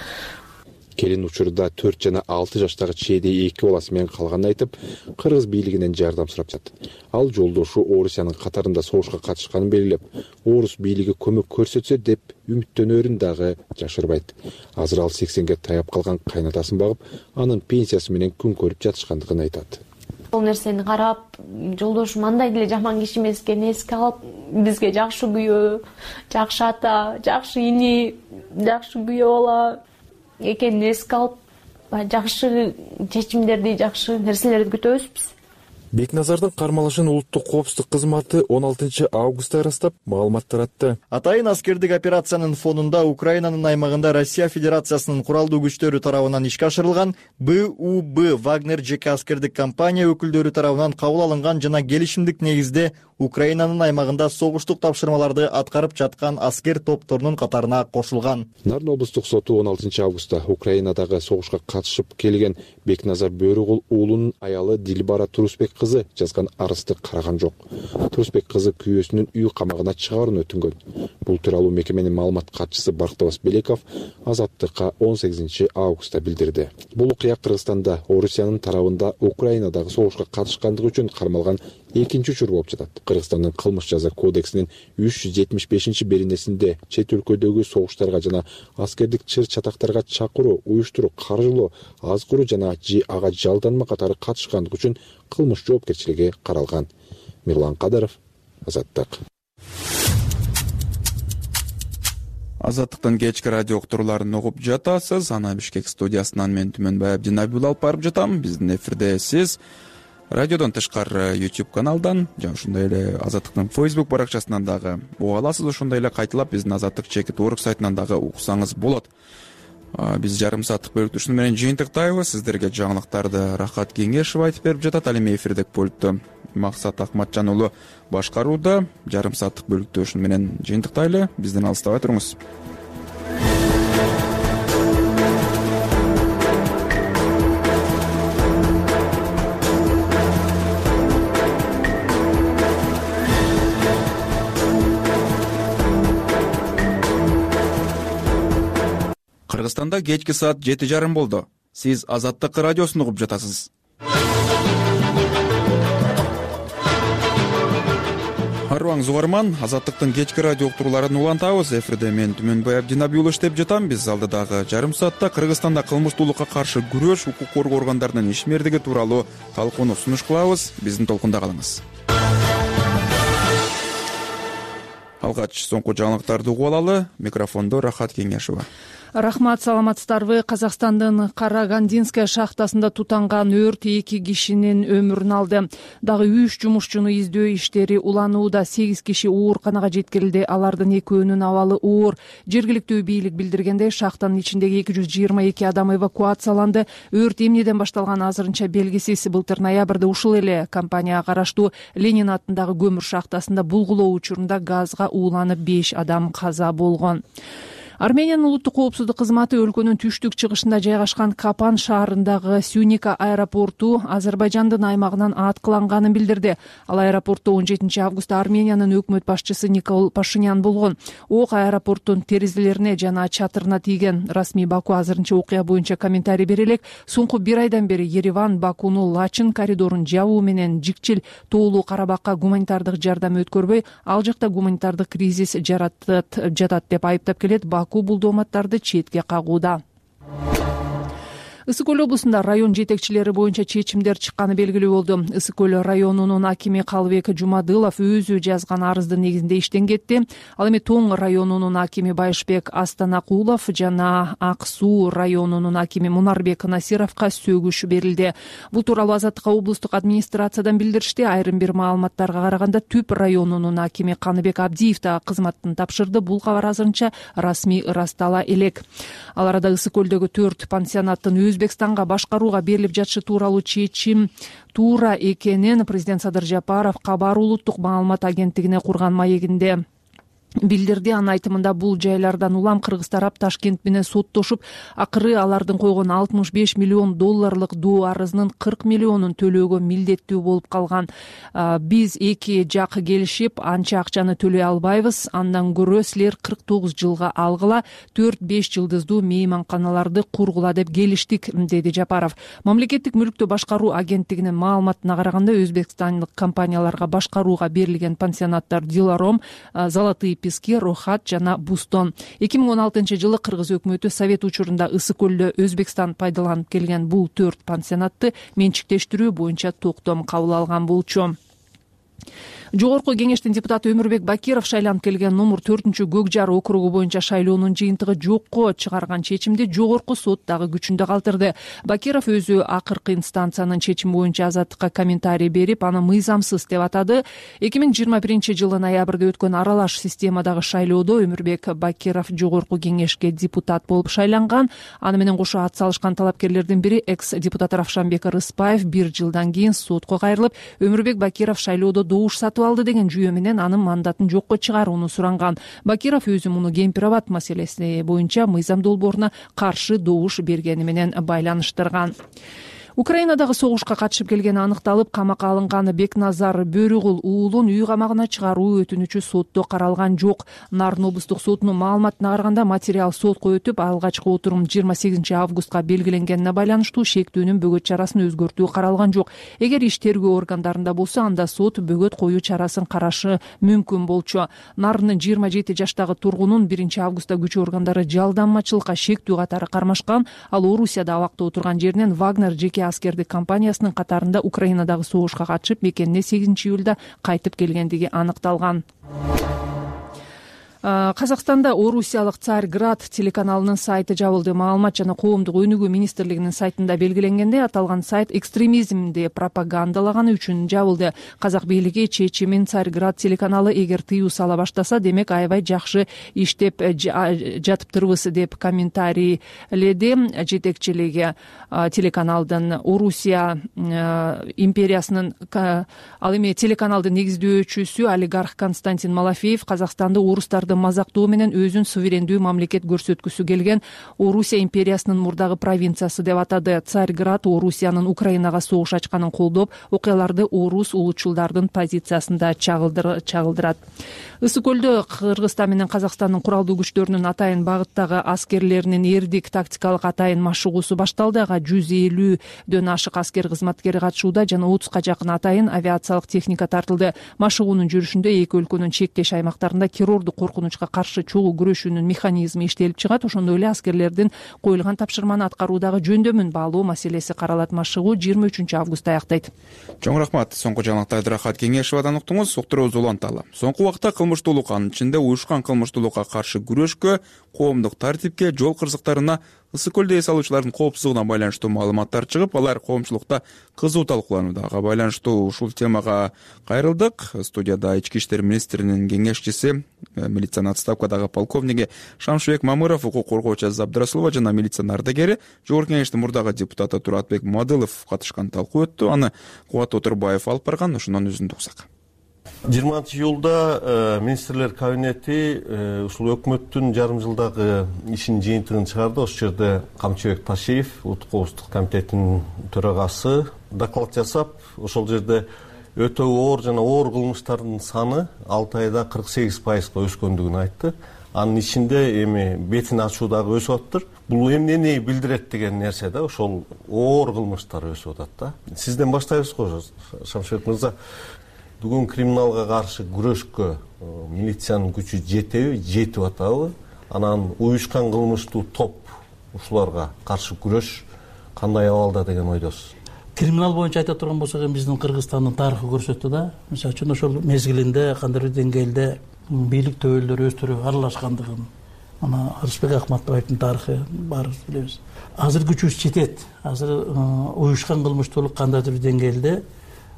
Келин учурда 4 жана 6 жаштагы чейди 2 баласы менен калганын айтып, кыргыз бийлигинен жардам сурап жатат. Ал жолдошу Орусиянын катарында согушка катышканын белгилеп, орус бийлиги көмөк көрсөтсө деп үмүттөнөрүн дагы жашырбайт. Азыр ал 80ге таяп калган кайнатасын багып, анын пенсиясы менен күн көрүп жатышкандыгын айтат. Бул нерсени карап, жолдошум андай деле жаман киши эмес экенин эске алып, бизге жакшы күйөө, жакшы ата, жакшы ини, жакшы күйөө бала экенин эске алып, жакшы чечимдерди, жакшы нерселерди күтөбүз биз. Бекназардын кармалышын улуттук коопсуздук кызматы 16 августта ырастап, маалымат таратты. Атайын аскердик операциянын фонунда Украинанын аймагында Россия Федерациясынын куралдуу күчтөрү тарабынан ишке ашырылган БУБ Вагнер жеке аскердик компания өкүлдөрү тарабынан кабыл алынган жана келишимдик негизде Украинанын аймагында согуштук тапшырмаларды аткарып жаткан аскер топторунун катарына кошулган. Нарын облустук соту 16 августта Украинадагы согушка катышып келген Бекназар Бөрүгул уулунун аялы Дилбара Турусбек кызы жазган арызды караган жок. Турусбек кызы күйөөсүнүн үй камагына чыгарууну өтүнгөн. Бул тууралуу мекеменин маалымат катчысы Бактыбас Белеков Азаттыкка 18 августта билдирди. Бул окуя Кыргызстанда Орусиянын тарабында Украинадагы согушка катышкандыгы үчүн кармалган экинчи учур болуп жатат. Кыргызстандын кылмыш жаза кодексинин 375-беренесинде чет өлкөдөгү согуштарга жана аскердик чыр-чатактарга чакыруу, уюштуруу, каржылоо, азгыруу жана ага жалданма катары катышкандык үчүн кылмыш жоопкерчилиги каралган. Мирлан Кадыров, Азаттык. Азаттыктын кечки радио уктурууларын угуп жатасыз. Ана Бишкек студиясынан мен Түмөнбай Абдинабил алып барып жатам. Биздин эфирде сиз радиодон тышкары YouTube каналдан жана ошондой эле Азаттыктын Facebook баракчасынан дагы уга аласыз. Ошондой эле кайталап биздин Азаттык чекит орг сайтынан дагы уксаңыз болот. Биз жарым сааттык бөлүктү менен жыйынтыктайбыз. Сиздерге жаңылыктарды Рахат Кеңешев айтып берип жатат. Ал эми эфирдик пультту Максат Акматжан уулу башкарууда. Жарым сааттык бөлүктү менен жыйынтыктайлы. Бизден алыстабай туруңуз. Кыргызстанда кечки саат 7:30 болду. Сиз Азаттык радиосун угуп жатасыз. Арыбаңыз угарман, Азаттыктын кечки радио уктурууларын улантабыз. Эфирде мен Түмөнбай Абдинабиулы иштеп жатам. Биз алдыдагы жарым саатта Кыргызстанда кылмыштуулукка каршы күрөш, укук коргоо органдарынын ишмердиги тууралуу талкууну сунуш кылабыз. Биздин толкунда калыңыз. Алгач соңку жаңылыктарды угуп алалы. Микрофондо Рахат Кеңешова. Рахмат, саламатсыздарбы? Казакстандын Карагандинская шахтасында тутанган өрт 2 кишинин өмүрүн алды. Дагы 3 жумушчуну издөө иштери уланууда. 8 киши ооруканага жеткирилди. Алардын 2-өөнүн абалы оор. Жергиликтүү бийлик билдиргендей, шахтанын ичиндеги 222 адам эвакуацияланды. Өрт эмнеден башталганы азырынча белгисиз. Былтыр ноябрда ушул эле компанияга караштуу Ленин атындагы көмүр шахтасында булгулоо учурунда газга ууланып 5 адам каза болгон. Армениянын улуттук коопсуздук кызматы өлкөнүн түштүк чыгышында жайгашкан Капан шаарындагы Сюника аэропорту Азербайжандын аймагынан аткыланганын билдирди. Ал аэропортто 17 августта Армениянын өкмөт башчысы Никол Пашинян болгон. Ок аэропорттун терезелерине жана чатырына тийген. Расмий Баку азырынча окуя боюнча комментарий бере элек. Соңку 1 айдан бери Ереван Бакуну Лачин коридорун жабуу менен жикчил тоолуу Карабакка гуманитардык жардам өткөрбөй, ал жакта гуманитардык кризис жатат деп айыптап келет. Баку бул дооматтарды четке кагууда. Ысык көл облусунда район жетекчилери боюнча чечимдер чыкканы белгилүү болду. Ысык көл районунун акими Калыбек Жумадылов өзү жазган арыздын негизинде иштен кетти. Ал эми Тоң районунун акими Байышбек Астанакулов жана Ак Суу районунун акими Мунарбек Насировго сөгүш берилди. Бул тууралуу Азаттыкка облустук администрациядан билдиришти. Айрым бир маалыматтарга караганда Түп районунун акими Каныбек Абдиев да кызматтын тапшырды. Бул кабар азырынча расмий ырастала элек. Ал арада Ысык көлдөгү 4 пансионаттын Өзбекстанга башкарууга берилип жатышы тууралуу чечим туура экенин президент Садыр Жапаров Кабар улуттук маалымат агенттигине курган маегинде билдирди. Анын айтымында бул жайлардан улам кыргыз тарап Ташкент менен соттошуп, акыры алардын койгон 65 миллион долларлык доо арызынын 40 миллионун төлөөгө милдеттүү болуп калган. Биз эки жак келишип, анча акчаны төлөй албайбыз. Андан көрө силер 49 жылга алгыла, 4-5 жылдыздуу мейманканаларды кургула деп келиштик, деди Жапаров. Мамлекеттик мүлктү башкаруу агенттигинин маалыматына караганда, өзбекстандык компанияларга башкарууга берилген пансионаттар Диларом, Золотые Пески, Рохат жана Бустон. 2016-жылы кыргыз өкмөтү Совет учурунда Ысык көлдө Өзбекстан пайдаланып келген бул 4 пансионатты менчиктештирүү боюнча токтом кабыл алган болчу. Жогорку кеңештин депутаты Өмүрбек Бакиров шайланып келген номер 4-Көк Жар округу боюнча шайлоонун жыйынтыгы жокко чыгарган чечимди жогорку сот дагы күчүндө калтырды. Бакиров өзү акыркы инстанциянын чечими боюнча Азаттыкка комментарий берип, аны мыйзамсыз деп атады. 2021-жылы ноябрда өткөн аралаш системадагы шайлоодо Өмүрбек Бакиров жогорку кеңешке депутат болуп шайланган. Аны менен кошо ат салышкан талапкерлердин бири экс-депутат Равшанбек Рыспаев 1 жылдан кийин сотко кайрылып, Өмүрбек Бакиров шайлоодо добуш сатып алды деген жүйө менен анын мандатын жокко чыгарууну суранган. Бакиров өзү муну Кемпир-Абад маселеси боюнча мыйзам долбооруна каршы добуш бергени менен байланыштырган. Украинадагы согушка катышып келгени аныкталып, камакка алынган Бекназар Бөрүгул уулун үй камагына чыгаруу өтүнүчү сотто каралган жок. Нарын облустук сотунун маалыматына караганда, материал сотко өтүп, алгачкы отурум 28 августка белгиленгенине байланыштуу шектүүнүн бөгөт чарасын өзгөртүү каралган жок. Эгер иш тергөө органдарында болсо, анда сот бөгөт коюу чарасын карашы мүмкүн болчу. Нарындын 27 жаштагы тургунун 1 августта күч органдары жалданмачылыкка шектүү катары кармашкан. Ал Орусияда абакта отурган жеринен Вагнер жеке аскердик компаниясынын катарында Украинадагы согушка катышып, мекенине 8 июлда кайтып келгендиги аныкталган. Казакстанда Орусиялык Царьград телеканалынын сайты жабылды. Маалымат жана коомдук өнүгүү министрлигинин сайтында белгиленгендей, аталган сайт экстремизмди пропагандалаганы үчүн жабылды. Казак бийлиги чечимин Царьград телеканалы эгер тыюу сала баштаса, демек аябай жакшы иштеп жатыптырбыз деп комментарийледи жетекчилиги телеканалдын. Орусия империясынын ал эми телеканалдын негиздөөчүсү олигарх Константин Малафеев Казакстанды орустардын ошондой мазактоо менен өзүн суверендүү мамлекет көрсөткүсү келген Орусия империясынын мурдагы провинциясы деп атады. Царьград Орусиянын Украинага согуш ачканын колдоп, окуяларды орус улутчулдардын позициясында чагылдырат. Ысык көлдө Кыргызстан менен Казакстандын куралдуу күчтөрүнүн атайын багыттагы аскерлеринин эрдик тактикалык атайын машыгуусу башталды. Ага 150дөн ашык аскер кызматкери катышууда жана 30га жакын атайын авиациялык техника тартылды. Машыгуунун жүрүшүндө эки өлкөнүн чектеш аймактарында террордук коркунучка каршы чогуу күрөшүүнүн механизми иштелип чыгат. Ошондой эле аскерлердин коюлган тапшырманы аткаруудагы жөндөмүн баалоо маселеси каралат. Машыгуу 23 августта аяктайт. Чоң рахмат. Соңку жаңылыктарды Рахат Кеңешевадан уктуңуз. Уктуруубуз уланталы. Соңку убакта кылмыштуулук, анын ичинде уюшкан кылмыштуулукка каршы күрөшкө, коомдук тартипке, жол кырсыктарына, ысык көлдө эс алуучулардын коопсуздугуна байланыштуу маалыматтар чыгып, алар коомчулукта кызуу талкууланууда. Ага байланыштуу ушул темага кайрылдык. Студияда Ички иштер министринин кеңешчиси, милициянын отставкадагы полковниги Шамшыбек Мамыров, укук коргоочу Азиз Абдырасулова жана милициянын ардагери, Жогорку Кеңештин мурдагы депутаты Туратбек Мадылов катышкан талкуу өттү. Аны Кубат Отурбаев алып барган, ошондон үзүндү уксак. 20-июлда министрлер кабинети ушул өкмөттүн жарым жылдагы ишинин жыйынтыгын чыгарды. Ошол жерде Камчыбек Ташиев, Улуттук коопсуздук комитетинин төрагасы доклад жасап, ошол жерде өтө оор жана оор кылмыштардын саны 6 айда 48%га өскөндүгүн айтты. Анын ичинде эми бетин ачуу дагы өсүп атыптыр. Бул эмнени билдирет деген нерсе да, ошол оор кылмыштар өсүп атат да. Сизден баштайбызго, Шамшыбек мырза. Бүгүн криминалга каршы күрөшкө милициянын күчү жетеби, жетип атабы? Анан уюшкан кылмыштуу топ ушуларга каршы күрөш кандай абалда деген ойдосуз? Криминал боюнча айта турган болсок, биздин Кыргызстандын тарыхы көрсөттү да. Мисалы үчүн ошол мезгилинде кандайдыр деңгээлде бийлик төбөлдөрү өздөрү аралашкандыгын, ана Арысбек Акматбаевдин тарыхы баарыбыз билебиз. Азыр күчүбүз жетет. Азыр уюшкан кылмыштуулук кандайдыр деңгээлде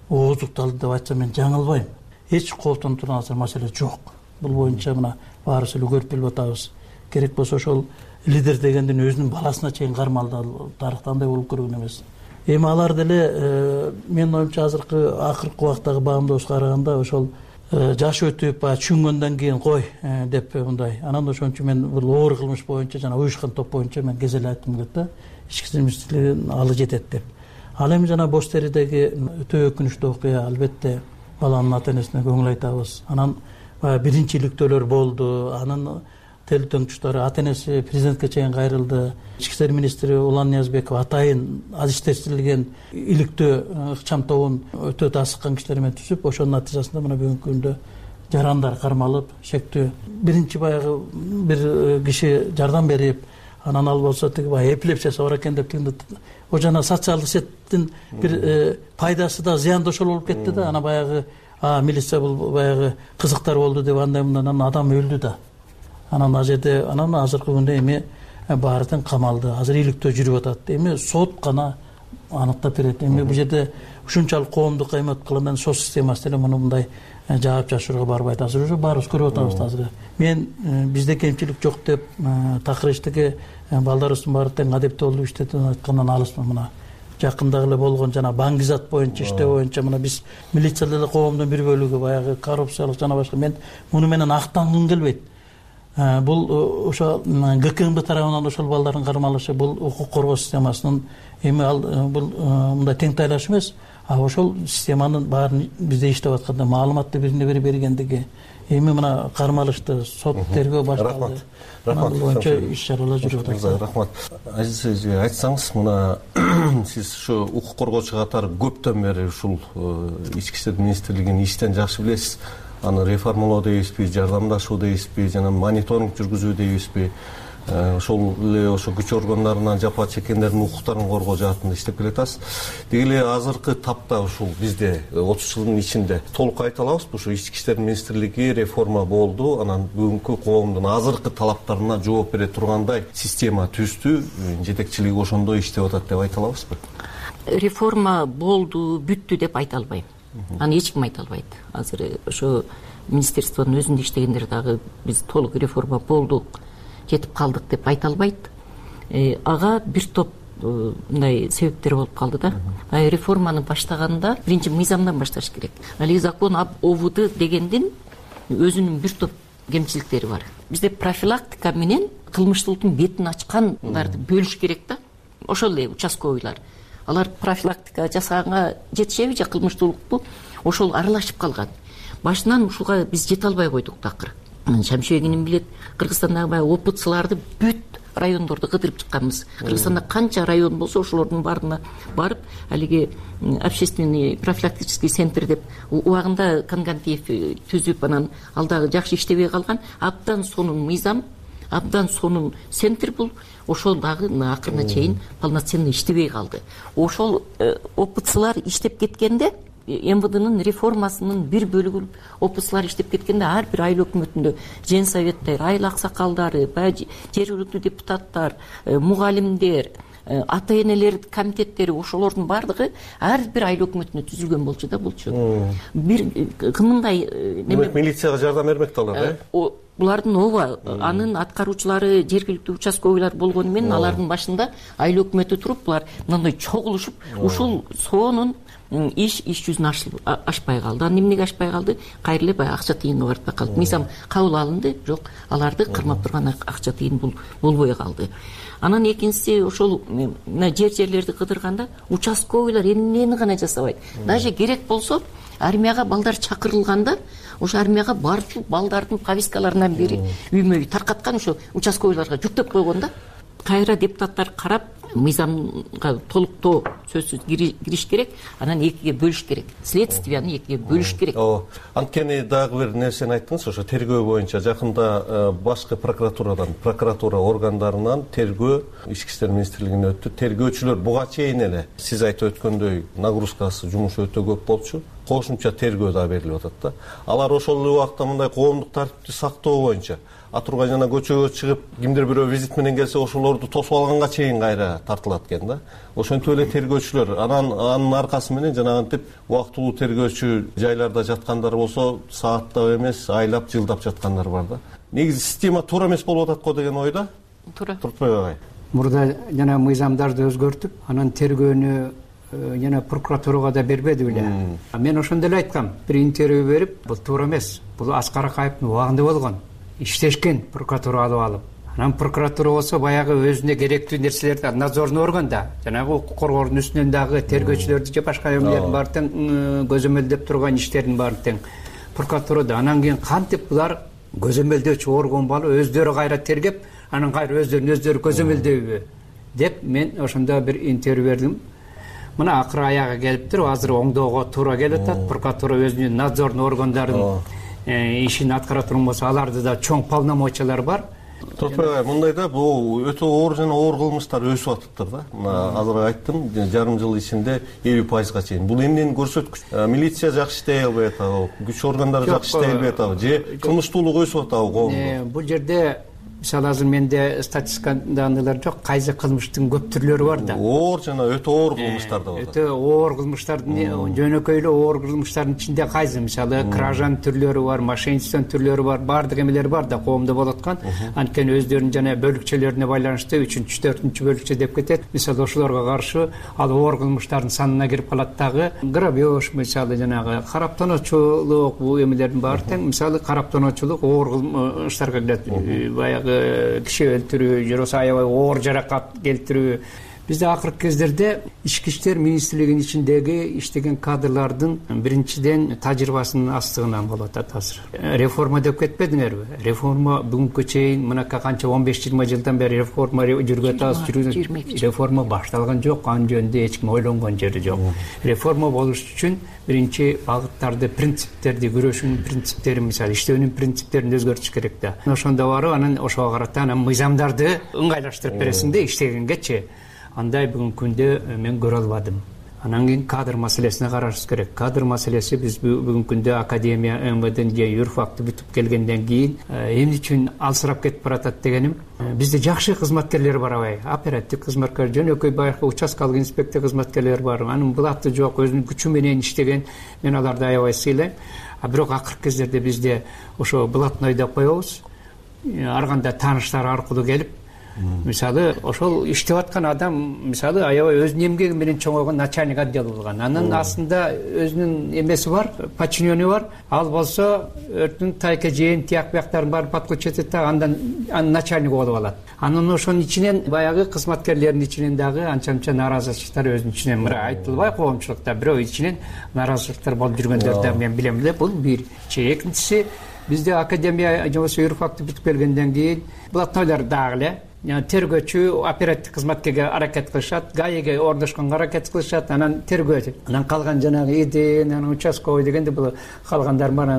ооздукталды деп айтсам мен жаңылбайм. Эч кооптонуп турган маселе жок. Бул боюнча мына баарыбыз эле көрүп билип атабыз. Керек болсо ошол лидер дегендин өзүнүн баласына чейин кармалды. Тарыхта андай болуп көргөн эмес. Эми алар деле менин оюмча акыркы убактагы баамдоосуга караганда ошол жаш өтүп, түшүнгөндөн кийин кой деп мындай. Анан ошон үчүн мен бул оор кылмыш боюнча жана уюшкан топ боюнча мен кезел айткым келет да. Ички иштер министрлигинин алы жетет деп. Ал эми жана бош теридеги өтө өкүнүчтүү окуя, албетте баланын ата энесине көңүл айтабыз. Анан биринчи иликтөөлөр болду. Анын тел төңчүтөрү ата энеси президентке чейин кайрылды. Ички иштер министри Улан Ниязбеков атайын адистештирилген иликтөө ыкчам тобун өтө тасыккан кишилер менен түзүп, ошонун натыйжасында мына бүгүнкү күндө жарандар кармалып, шектүү биринчи баягы бир киши жардам берип, анан ал болсо тиги баягы эпилепсиясы бар экен деп тигинде о жана социалдык сеттин бир пайдасы да зыянды ошол болуп кетти да. Ана баягы милиция бул баягы кызыктар болду деп андай мындан адам өлдү да. Анан ал жерде азыркы күндө эми баары тең камалды. Азыр иликтөө жүрүп атат. Эми сот гана аныктап берет. Эми бул жерде ушунчалык коомдук кыймат кылгандан сот системасы деле муну мындай жаап жашырууга барбайт. Азыр уже баарыбыз көрүп атабыз азыр. Мен бизде кемчилик жок деп такыр иштеги балдарыбыздын баары тең адептүү болуп иштетип айткандан алысмын. Мына жакында эле болгон жана баңгизат боюнча иштөө боюнча мына биз милиция деле коомдун бир бөлүгү баягы коррупциялык жана башка. Мен муну менен актангым келбейт. Бул ошо ГКМБ тарабынан ошол балдардын кармалышы, бул укук коргоо системасынын эми ал бул мындай тең тайлаш эмес. Ошол системанын баарын бизде иштеп атканда маалыматты бирине бири бергендиги, эми мына кармалышты сот тергөө башталды. Рахмат. Бул боюнча иш чаралар жүрүп атат. Рахмат. Азиз айтсаңыз, мына сиз ушу укук коргоочу катары көптөн бери ушул ички иштер министрлигинин иштен жакшы билесиз. Аны реформалоо дейбизби, жардамдашуу дейбизби, жана мониторинг жүргүзүү дейбизби, ошол эле ошо күч органдарынан жапа чеккендердин укуктарын коргоо жаатында иштеп келатасыз. Деги эле азыркы тапта ушул бизде 30 жылдын ичинде толук айта алабызбы, ушу ички иштер министрлиги реформа болду, анан бүгүнкү коомдун азыркы талаптарына жооп бере тургандай система түздү, жетекчилиги ошондой иштеп атат деп айта алабызбы? Реформа болду, бүттү деп айта албайм. Аны эч ким айта албайт. Азыр ошо министерствонун өзүндө иштегендер дагы биз толук реформа болдук, жетип калдык деп айта албайт. Ага бир топ мындай себептер болуп калды да. Реформаны баштаганда биринчи мыйзамдан башташ керек. Ал закон об ОВУД дегендин өзүнүн бир топ кемчиликтери бар. Бизде профилактика менен кылмыштуулуктун бетин ачкандарды бөлүш керек да. Ошол эле участковыйлар. Алар профилактика жасаганга жетишеби же кылмыштуулукту ошол аралашып калган. Башынан ушуга биз жете албай койдук такыр. Шамшыбек иним билет, Кыргызстандагы баягы опытчыларды бүт райондорду кыдырып чыкканбыз. Кыргызстанда канча район болсо ошолордун баарына барып, алиги общественный профилактический центр деп убагында Конгантиев түзүп, анан ал дагы жакшы иштебей калган. Абдан сонун мыйзам, абдан сонун центр бул. Ошол дагы акырына чейин полноценно иштебей калды. Ошол опытчылар иштеп кеткенде, МВДнын реформасынын бир бөлүгү опытчылар иштеп кеткенде, ар бир айыл өкмөтүндө женсоветтер, айыл аксакалдары, жергиликтүү депутаттар, мугалимдер, ата-энелер комитеттери, ошолордун баардыгы ар бир айыл өкмөтүнө түзүлгөн болчу да булчу. Бир кымындай демек милицияга жардам бермекте алар, булардын ооба, анын аткаруучулары жергиликтүү участковыйлар болгону менен алардын башында айыл өкмөтү туруп, булар мындай чогулушуп, ушул сонун иш жүзүнө ашпай калды. Анан эмнеге ашпай калды? Кайра эле баягы акча тыйынга барып калды. Мыйзам кабыл алынды, жок, аларды кырмап турган акча тыйын болбой калды. Анан экинчиси, ошол жерлерди кыдырганда участковыйлар эмнени гана жасабайт. Даже керек болсо армияга балдар чакырылганда, ошо армияга барчу балдардын повесткаларынан бери үймө үй таркаткан ошо участковыйларга жүктөп койгон да. Кайра депутаттар карап, мыйзамга толуктоо сөзсүз кириш керек, анан экиге бөлүш керек. Следствияны экиге бөлүш керек. Анткени дагы бир нерсени айттыңыз, ошо тергөө боюнча жакында башкы прокуратура органдарынан тергөө Ички иштер министрлигине өттү. Тергөөчүлөр буга чейин эле сиз айтып өткөндөй нагрузкасы, жумушу өтө көп болчу. Кошумча тергөө да берилип атат да. Алар ошол убакта мындай коомдук тартипти сактоо боюнча Атургай жана көчөгө чыгып, кимдир бирөө визит менен келсе, ошолорду тосуп алганга чейин кайра тартылат экен да. Ошентип эле тергөөчүлөр анын аркасы менен жанагынтип убактылуу тергөөчү жайларда жаткандар болсо, сааттап эмес, айлап, жылдап жаткандар бар да. Негизи система туура эмес болуп атат го деген ойда. Туура. Туртбек агай. Мурда жана мыйзамдарды өзгөртүп, анан тергөөнү жана прокуратурага да бербеди беле. Мен ошондо эле айткам, бир интервью берип, бул туура эмес. Бул Аскар Акаевдин убагында болгон. Иштешкен прокуратура алып алып. Анан прокуратура болсо баягы өзүнө керектүү нерселерди надзорный органда, жанагы укук коргоонун үстүнөн дагы тергөөчүлөрдү же башка эмелердин баары тең көзөмөлдөп турган иштердин баары тең прокуратурада. Анан кийин кантип булар көзөмөлдөөчү орган болуп өздөрү кайра тергеп, анан кайра өздөрү көзөмөлдөйбү деп мен ошондо бир интервью бердим. Мына акыры аягы келиптир, азыр оңдоого туура келип атат. Прокуратура өзүнүн надзорный органдарын ишин аткара турган болсо, аларды да чоң полномочиялар бар. Туртбек, мындай да, бул өтө оор жана оор кылмыштар өсүп атыптыр да. Азыр айттым, жарым жыл ичинде 50%га чейин. Бул эмнени көрсөткүч? Милиция жакшы иштей албай атабы, күч органдары жакшы иштей албай атабы, же кылмыштуулук өсүп атабы коомдо? Бул жерде мисалы азыр менде статистикада андайлар жок, кайсы кылмыштын көп түрлөрү бар да. Оор жана өтө оор кылмыштар да бар. Өтө оор кылмыштардын жөнөкөй эле оор кылмыштардын ичинде кайсы, мисалы кражанын түрлөрү бар, мошенничествонун түрлөрү бар, баардык эмелер бар да коомдо болуп аткан. Анткени өздөрүнүн жана бөлүкчөлөрүнө байланыштуу 3-4 бөлүкчө деп кетет. Мисалы ошолорго каршы ал оор кылмыштардын санына кирип калат дагы. Грабеж, мисалы жанагы караптоочулук, бул эмелердин баары тең. Мисалы караптоочулук оор кылмыштарга кирет. Баягы киши өлтүрүү, же болбосо аябай оор жаракат келтирүү. Бизде акыркы кездерде Ички иштер министрлигинин ичиндеги иштеген кадрлардын биринчиден тажрыйбасынын астыгынан болуп атат азыр. Реформа деп кетпедиңерби? Реформа бүгүнкү чейин мынакка канча 15-20 жылдан бери реформа жүргүп атабыз. Реформа башталган жок, анын жөнүндө эч ким ойлонгон жери жок. Реформа болуш үчүн биринчи багыттарды, принциптерди, күрөшүүнүн принциптерин, мисалы иштөөнүн принциптерин өзгөртүш керек да. Ошондо барып, анан ошого карата анан мыйзамдарды ыңгайлаштырып бересиң да иштегенгечи. Андай бүгүнкү күндө мен көрө албадым. Анан кийин кадр маселесине карашыбыз керек. Кадр маселеси биз бүгүнкү күндө академия, МВД же юрфакты бүтүп келгенден кийин эмне үчүн алсырап кетип баратат дегеним, бизде жакшы кызматкерлер бар абай. Оперативдик кызматкер, жөнөкөй баягы участкалык инспектор кызматкерлер бар. Анын булаты жок, өзүнүн күчү менен иштеген. Мен аларды аябай сыйлайм. А бирок акыркы кездерде бизде ошо блатной деп коебуз. Ар кандай тааныштар аркылуу келип, мисалы ошол иштеп аткан адам мисалы аябай өзүнүн эмгеги менен чоңойгон начальник отдел болгон, анын астында өзүнүн эмеси бар, подчиненный бар, ал болсо өрттүн тайка жээн тияк бияктарын баарын подключить этет да андан анын начальниги болуп алат. Анан ошонун ичинен баягы кызматкерлердин ичинен дагы анча мынча нааразычылыктар өзүнүн ичинен мына айтылбай коомчулукта бирөө ичинен нааразычылыктар болуп жүргөндөрдү да мен билем эле. Бул бир. Экинчиси бизде академия же болбосо юрфакты бүтүп келгенден кийин блатнойлор дагы эле тергөөчү оперативдик кызматкерге аракет кылышат, гаиге ордошконго аракет кылышат, анан тергөөчү, анан калган жанагы иден, анан участковый дегенде бул калгандар бар,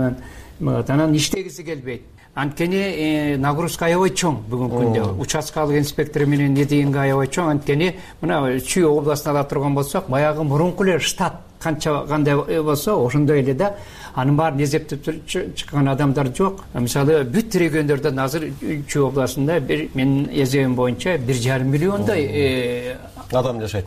анан иштегиси келбейт. Анткени нагрузка аябай чоң бүгүнкү күндө. Участкалык инспектор менен иденге аябай чоң. Анткени мына Чүй областына ала турган болсок, баягы мурунку эле штат канча кандай болсо ошондой эле да. Анын баарын эзептеп чыккан адамдар жок. Мисалы бүт региондордон азыр Чүй областында менин эзебим боюнча 1,5 миллиондой адам жашайт.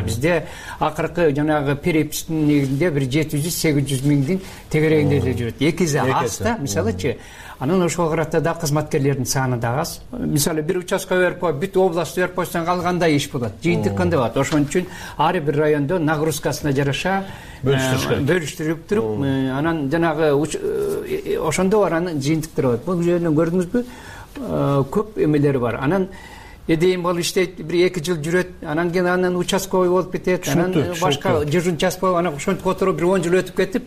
Бизде акыркы жанагы перепистин негизинде 700-800 миңдин тегерегинде эле жүрөт. 2 аз да, мисалычы. Анан ошого карата да кызматкерлердин саны да аз. Мисалы бир участка берип коюп, бүт област берип койсоң калгандай иш болот. Жыйынтык кандай болот? Ошон үчүн ар бир райондо нагрузкасына жараша бөлүштүрүп туруп, анан жанагы ошондо бар анын жыйынтыктары болот. Бул жөнүндө көрдүңүзбү? Көп эмелери бар. Анан эдейин болуп иштейт, 1-2 жыл жүрөт, анан кийин анан участковый болуп кетет, анан башка жыжын час болуп, анан ошентип отуруп 10 жыл өтүп кетип,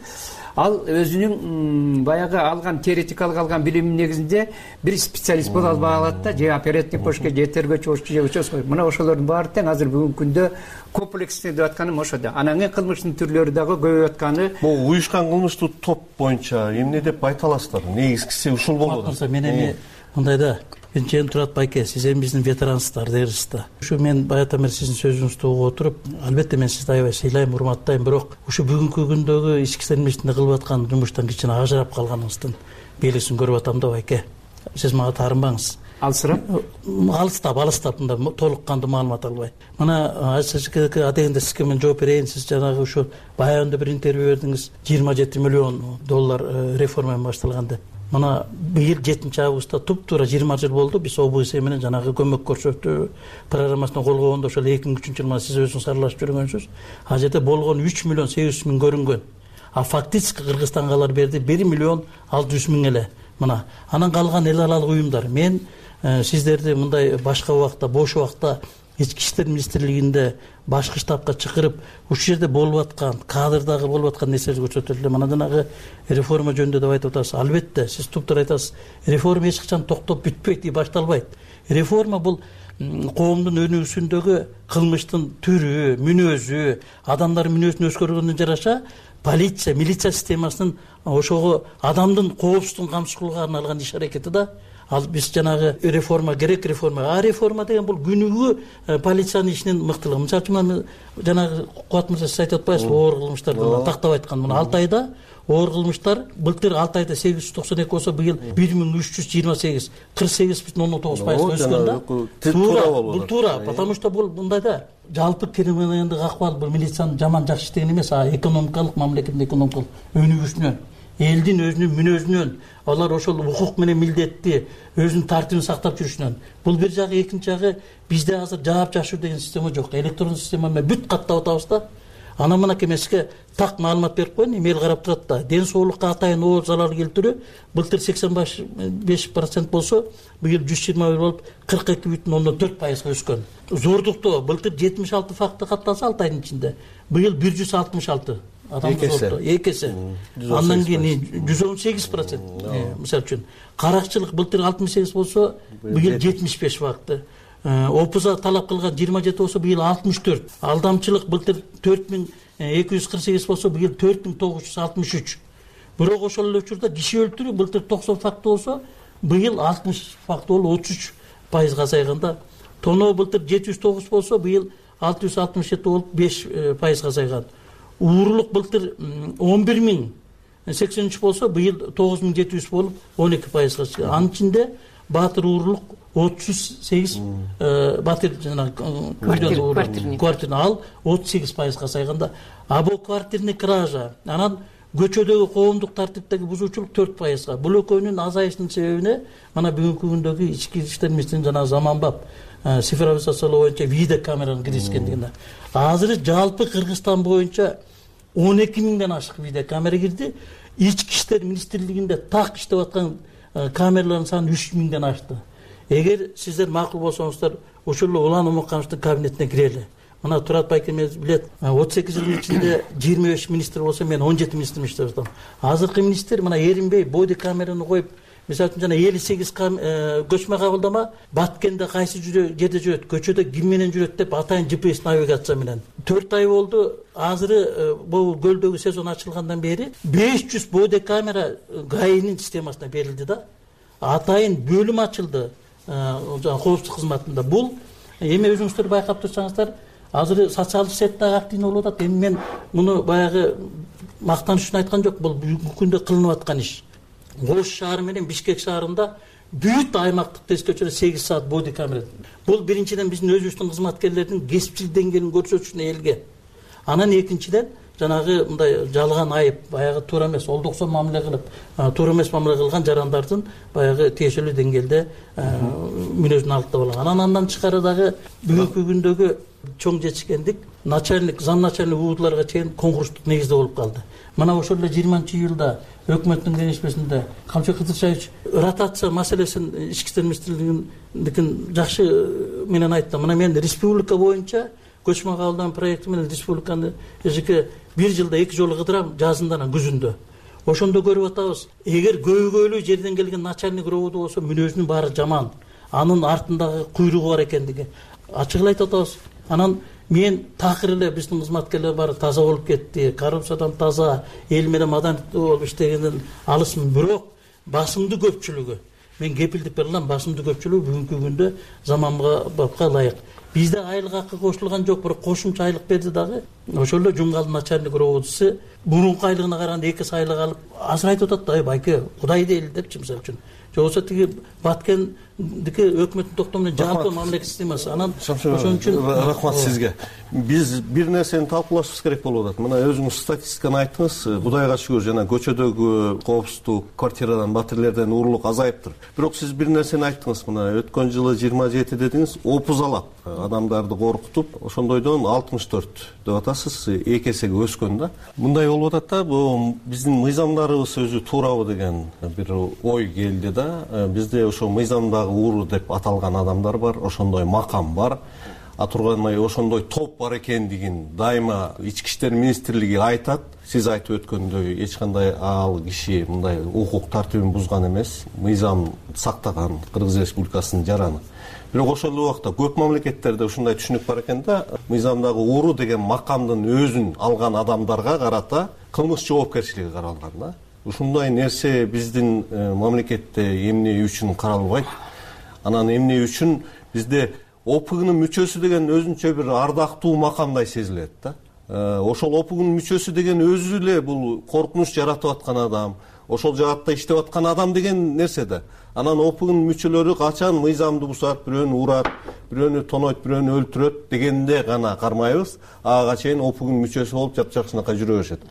ал өзүнүн баягы алган теоретикалык алган билиминин негизинде бир специалист боло албай калат да, же оперативник болушка, же тергөөчү болушка, же участковый. Мына ошолордун баары тең азыр бүгүнкү күндө комплекстүү деп атканым ошодо. Анан кылмыштын түрлөрү дагы көбөйүп атканы. Бул уюшкан кылмыштуу топ боюнча эмне деп айта аласыздар? Негизгиси ушул болот. Мен эми мындай да, Бенчен Турат байке, сиз эми биздин ветерансыздар дерсиз да. Ушу мен баягы бери сиздин сөзүңүздү угуп отуруп, албетте мен сизди аябай сыйлайм, урматтайм, бирок ушу бүгүнкү күндөгү ички иштер министрлигинде кылып аткан жумуштан кичине ажырап калганыңыздын белгисин көрүп атам да байке. Сиз мага таарынбаңыз. Алысырап? Алыстап, мында толук кандуу маалымат албай. Мына адегенде сизге мен жооп берейин. Сиз жанагы ушу баягында бир интервью бердиңиз, 27 миллион доллар реформа башталган деп. Мына быйыл 7 августта туп-туура 20 жыл болду. Биз ОБС менен жанагы көмөк көрсөтүү программасына кол койгондо ошол 2003 жылы сиз өзүңүз аралашып жүргөнсүз. Ал жерде болгон 3 миллион 800 миң көрүнгөн. А фактически Кыргызстанга алар берди 1 миллион 600 миң эле. Мына анан калган эл аралык уюмдар. Мен сиздерди мындай башка убакта, бош убакта ички иштер министрлигинде башкы штабка чакырып, ушул жерде болуп аткан, кадрдагы болуп аткан нерселерди көрсөтөлү. Мына жанагы реформа жөнүндө деп айтып атасыз. Албетте, сиз туптуура айтасыз. Реформа эч качан токтоп бүтпөйт, башталбайт. Реформа бул коомдун өнүгүүсүндөгү кылмыштын түрү, мүнөзү, адамдардын мүнөзүн өзгөргөндөн жараша полиция, милиция системасынын ошого адамдын коопсуздугун камсыз кылууга арналган иш аракети да. Ал биз жанагы реформа керек, реформа. Реформа деген бул күнүгү полициянын ишинин мыктылыгы. Мисалы үчүн жанагы Кубат мырза сиз айтып атпайсызбы, оор кылмыштарды тактап айткан. Мына 6 айда оор кылмыштар былтыр 6 айда 892 болсо, быйыл 1328, 48,9% өскөн да. Бул туура, потому что бул мындай да. Жалпы криминалдык акыбал бул милициянын жаман жакшы иштеген эмес, экономикалык, мамлекеттин экономикалык өнүгүүсүнөн, элдин өзүнүн мүнөзүнөн, алар ошол укук менен милдетти өзүнүн тартибин сактап жүрүшүнөн. Бул бир жагы, экинчи жагы бизде азыр жаап жашуу деген система жок. Электрондук система менен бүт каттап атабыз да. Анан мына кемеске так маалымат берип коеюн, эл карап турат да. Ден соолукка атайын оор залал келтирүү былтыр 85% болсо, быйыл 121 болуп 42,4% өскөн. Зордуктоо былтыр 76 факты катталса 6 айдын ичинде, быйыл 166 адам зордуктоо, экесе. Андан кийин 118%. Мисалы үчүн, каракчылык былтыр 68 болсо, быйыл 75 факты. Опуза талап кылган 27 болсо, быйыл 64. Алдамчылык былтыр 4248 болсо, быйыл 4963. Бирок ошол эле учурда киши өлтүрүү былтыр 90 факт болсо, быйыл 60 факт болуп 33% азайганда. Тоноо былтыр 709 болсо, быйыл 667 болуп 5% азайган. Уурулук былтыр 11.083 болсо, быйыл 9700 болуп 12%. Анын ичинде баатыр уурулук 38 батыр жана квартирный ал 38% азайганда. А бул квартирный кража, анан көчөдөгү коомдук тартиптеги бузуучулук 4%. Бул экөөнүн азайышынын себебине мына бүгүнкү күндөгү ички иштер министринин жанагы заманбап цифровизациялоо боюнча видеокамеранын киргизгендигине. Азыр жалпы Кыргызстан боюнча 12 миңден ашык видеокамера кирди. Ички иштер министрлигинде так иштеп аткан камералардын саны 3 миңден ашты. Эгер сиздер макул болсоңуздар, ошол эле Улан Омаркановдун кабинетине кирели. Мына Турат Байкемиев билет, 38 жылдын ичинде 25 министр болсо, мен 17 министр иштеп жатам. Азыркы министр мына эринбей боди камераны коюп, мисалы үчүн жана 58 көчмө кабылдама Баткенде кайсы жерде жүрөт, көчөдө ким менен жүрөт деп атайын GPS навигация менен. 4 ай болду. Азыр бул көлдөгү сезон ачылгандан бери 500 боди камера ГАИнин системасына берилди да. Атайын бөлүм ачылды коопсуздук кызматында. Бул эми өзүңүздөр байкап турсаңыздар, азыр социалдык сеттеги активный болуп атат. Эми мен муну баягы мактаныш үчүн айткан жок, бул бүгүнкү күндө кылынып аткан иш. Ош шаары менен Бишкек шаарында бүт аймактык тест көчөрө 8 саат боди камера. Бул биринчиден биздин өзүбүздүн кызматкерлердин кесипчилик деңгээлин көрсөтүшүнө элге. Анан экинчиден жанагы мындай жалган айып, баягы туура эмес, олдуксо мамиле кылып, туура эмес мамиле кылган жарандардын баягы тиешелүү деңгээлде мүнөзүн алып алган. Андан тышкары дагы бүгүнкү күндөгү чоң жетишкендик начальник, зам начальник ууларга чейин конкурстук негизде болуп калды. Мына ошол эле 20-июлда өкмөттүн кеңешмесинде Камчыбек Кыдыршаевич ротация маселесин ички иштер министрлигиндикин жакшы менен айтты. Мына мен республика боюнча көчмө кабылдама проекти менен республиканы эжеке 1 жылда 2 жолу кыдырам, жазында жана күзүндө. Ошондо көрүп атабыз, эгер көйгөйлүү жерден келген начальник роду болсо мүнөзүнүн баары жаман, анын артындагы куйругу бар экендиги ачык айтып атабыз. Анан мен такыр эле биздин кызматкерлер баары таза болуп кетти, коррупциядан таза, эл менен маданияттуу болуп иштегенден алысмын. Бирок басымдуу көпчүлүгү, мен кепилдик бере алам, басымдуу көпчүлүгү бүгүнкү күндө заманбапка ылайык. Бизде айлык акы кошулган жок, бирок кошумча айлык берди дагы. Ошол эле Жумгалдын начальник роводусу мурунку айлыгына караганда 2 айлык алып, азыр айтып атат да, байке, Кудай дейли депчи мисалы үчүн. Жоксо тиги Баткендики өкмөттүн токтому менен жалпы мамлекет системасы. Анан ошон үчүн рахмат сизге. Биз бир нерсени талкуулашыбыз керек болуп атат. Мына өзүңүз статистиканы айттыңыз. Кудайга шүгүр, жана көчөдөгү коопсуздук, квартирадан, батирлерден уурулук азайыптыр. Бирок сиз бир нерсени айттыңыз. Мына өткөн жылы 27 дедиңиз, опузалап адамдарды коркутуп, ошондойдон 64 деп атасыз, 2 эсеге өскөн да. Мындай болуп атат да, бул биздин мыйзамдарыбыз өзү туурабы деген бир ой келди да. Бизде ошо мыйзамдагы ууру деп аталган адамдар бар, ошондой макам бар. Тургандай ошондой топ бар экендигин дайыма ички иштер министрлиги айтат. Сиз айтып өткөндөй эч кандай ал киши мындай укук тартибин бузган эмес, мыйзам сактаган Кыргыз Республикасынын жараны. Бирок ошол эле убакта көп мамлекеттерде ушундай түшүнүк бар экен да, мыйзамдагы ууру деген макамдын өзүн алган адамдарга карата кылмыш жоопкерчилиги каралган да. Ушундай нерсе биздин мамлекетте эмне үчүн каралбайт? Анан эмне үчүн бизде ОПГнын мүчөсү деген өзүнчө бир ардактуу макамдай сезилет да. Ошол ОПГнын мүчөсү деген өзү эле бул коркунуч жаратып аткан адам, ошол жаатта иштеп аткан адам деген нерсе да. Анан ОПГнын мүчөлөрү качан мыйзамды бузат, бирөөнү урат, бирөөнү тонойт, бирөөнү өлтүрөт дегенде гана кармайбыз. Ага чейин ОПГнын мүчөсү болуп жапжакшынакай жүрө беришет.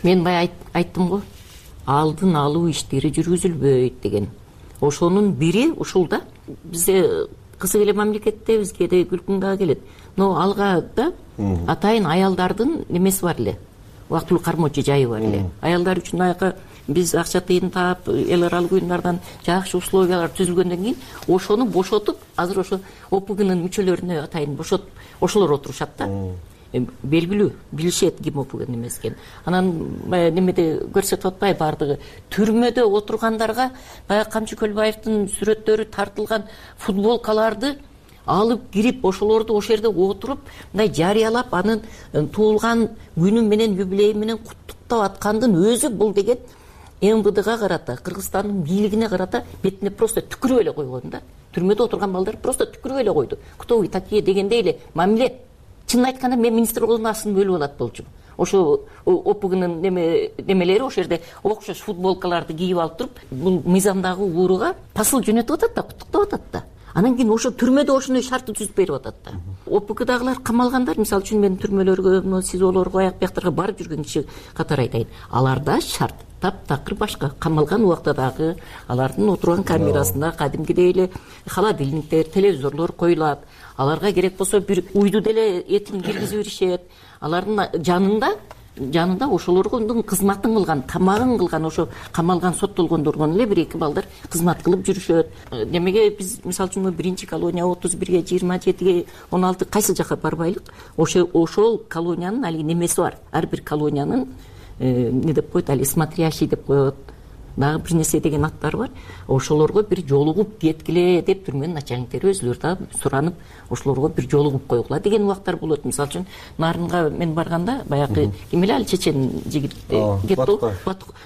Мен бай айттым го, алдын алуу иштери жүргүзүлбөйт деген. Ошонун бири ушул да. Бизде кызык эле мамлекетте бизге да күлкүң дагы келет. Но алга да атайын аялдардын немеси бар эле. Убактылуу кармоочу жайы бар эле. Аялдар үчүн аяка биз акча тыйын таап, эл аралык уюмдардан жакшы условиялар түзүлгөндөн кийин ошону бошотуп, азыр ошо ОПГнын мүчөлөрүнө атайын бошотуп, ошолор отурушат да. Белгилүү, билишет ким ОПГнын эмес экенин. Анан немеде көрсөтүп атпай бардыгы түрмөдө отургандарга баягы Камчы Көлбаевдин сүрөттөрү тартылган футболкаларды алып кирип, ошолорду ошол жерде отуруп, мындай жарыялап, анын туулган күнү менен, юбилейи менен куттуктап аткандын өзү бул деген МВДга карата, Кыргызстандын бийлигине карата бетине просто түкүрүп эле койгон да. Түрмөдө отурган балдар просто түкүрүп эле койду. Кто вы такие дегендей эле мамиле. Чынын айтканда мен министр болгондон астын бөлүп алат болчумун. Ошо ОПГнын немелери ошол жерде окшош футболкаларды кийип алып туруп, бул мыйзамдагы ууруга посыл жөнөтүп атат да, куттуктап атат да. Анан кийин ошо түрмөдө ошондой шартты түзүп берип атат да. ОПКдагылар камалгандар, мисалы үчүн мен түрмөлөргө, СИЗОлорго, аяк бияктарга барып жүргөн киши катары айтайын. Аларда шарт таптакыр башка. Камалган убакта дагы алардын отурган камерасында кадимкидей эле холодильниктер, телевизорлор коюлат. Аларга керек болсо бир уйду деле этин киргизип беришет. Алардын жанында ошолордун кызматын кылган, тамагын кылган, ошо камалган, соттолгондордон эле 1-2 балдар кызмат кылып жүрүшөт. Демеге биз мисалы үчүн биринчи колония 31ге, 27ге, 16 кайсыл жака барбайлык. Ошол колониянын алиги немеси бар. Ар бир колониянын не деп коет, али смотрящий деп коет, дагы бир нерсе деген аттары бар. Ошолорго бир жолугуп кеткиле деп түрмөнүн начальниктери өзүлөрү да суранып, ошолорго бир жолугуп койгула деген убактар болот. Мисалы үчүн Нарынга мен барганда баягы ким эле ал чечен жигит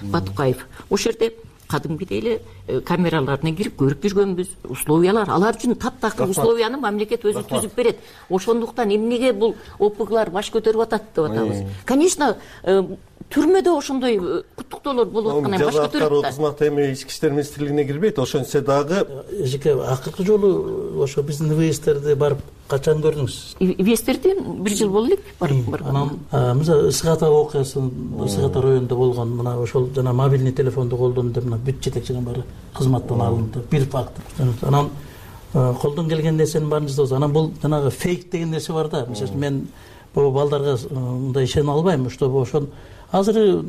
Батукаев. Ошол жерде кадимгидей эле камераларына кирип көрүп жүргөнбүз. Условиялар алар үчүн таптакыр условияны мамлекет өзү түзүп берет. Ошондуктан эмнеге бул ОПГлар баш көтөрүп атат деп атабыз. Конечно, түрмөдө ошондой куттуктоолор болуп аткан баш көтөрүп Аткаруу кызматы эми ички иштер министрлигине кирбейт. Ошентсе дагы эжеке акыркы жолу ошо биздин ИВСтерди барып качан көрдүңүз? ИВСтерди 1 жыл болду элек барып. Анан мисалы Ысык Ата окуясы, Ысык Ата районунда болгон, мына ошол жана мобильный телефонду колдонду деп мына бүт жетекчинин баары кызматтан алынды. Бир факт. Анан колдон келген нерсенин баарын жасабыз. Анан бул жанагы фейк деген нерсе бар да. Мисалы мен бул балдарга мындай ишене албайм, что ошон азыр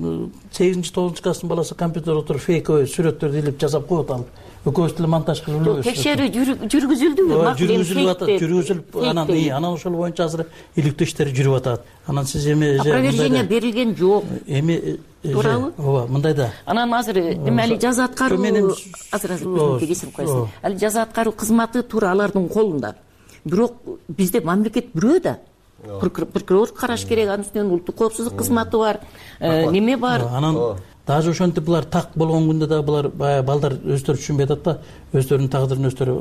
8-9 класстын баласы компьютерде отуруп фейковый сүрөттөрдү илип жасап коет, алып экөөбүз деле монтаж кылып элебиз. Текшерүү жүргүзүлдүбү? Жүргүзүлүп анан ошол боюнча азыр иликтөө иштери жүрүп атат. Анан сиз эми опровержение берилген жок. Эми туурабы? Ооба, мындай да. Анан азыр эме али жаза аткаруу азыр кесип коесуң. Али жаза аткаруу кызматы туура алардын колунда. Бирок бизде мамлекет бирөө да. Прокурор караш керек, анын үстүнөн улуттук коопсуздук кызматы бар, неме бар. Анан даже ошентип булар так болгон күндө дагы булар баягы балдар өздөрү түшүнбөй атат да, өздөрүнүн тагдырын өздөрү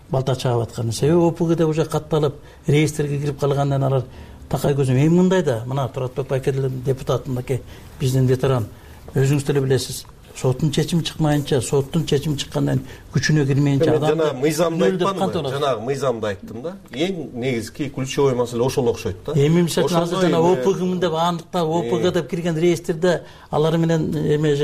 балта чаап аткан. Себеби ОПГде уже катталып, реестрге кирип калгандан алар такай көзүм. Эми мындай да, мына Туратбек Байкелдин депутаты мынакей биздин ветеран, өзүңүз деле билесиз. Соттун чечими чыкмайынча, соттун чечими чыккандан күчүнө кирмейинче адам жана мыйзамды айтпадымбы? Жанагы мыйзамды айттым да. Эң негизги ключевой маселе ошол окшойт да. Эми мисалы азыр жана ОПГ деп андыктап ОПГ деп кирген реестрде алар менен эме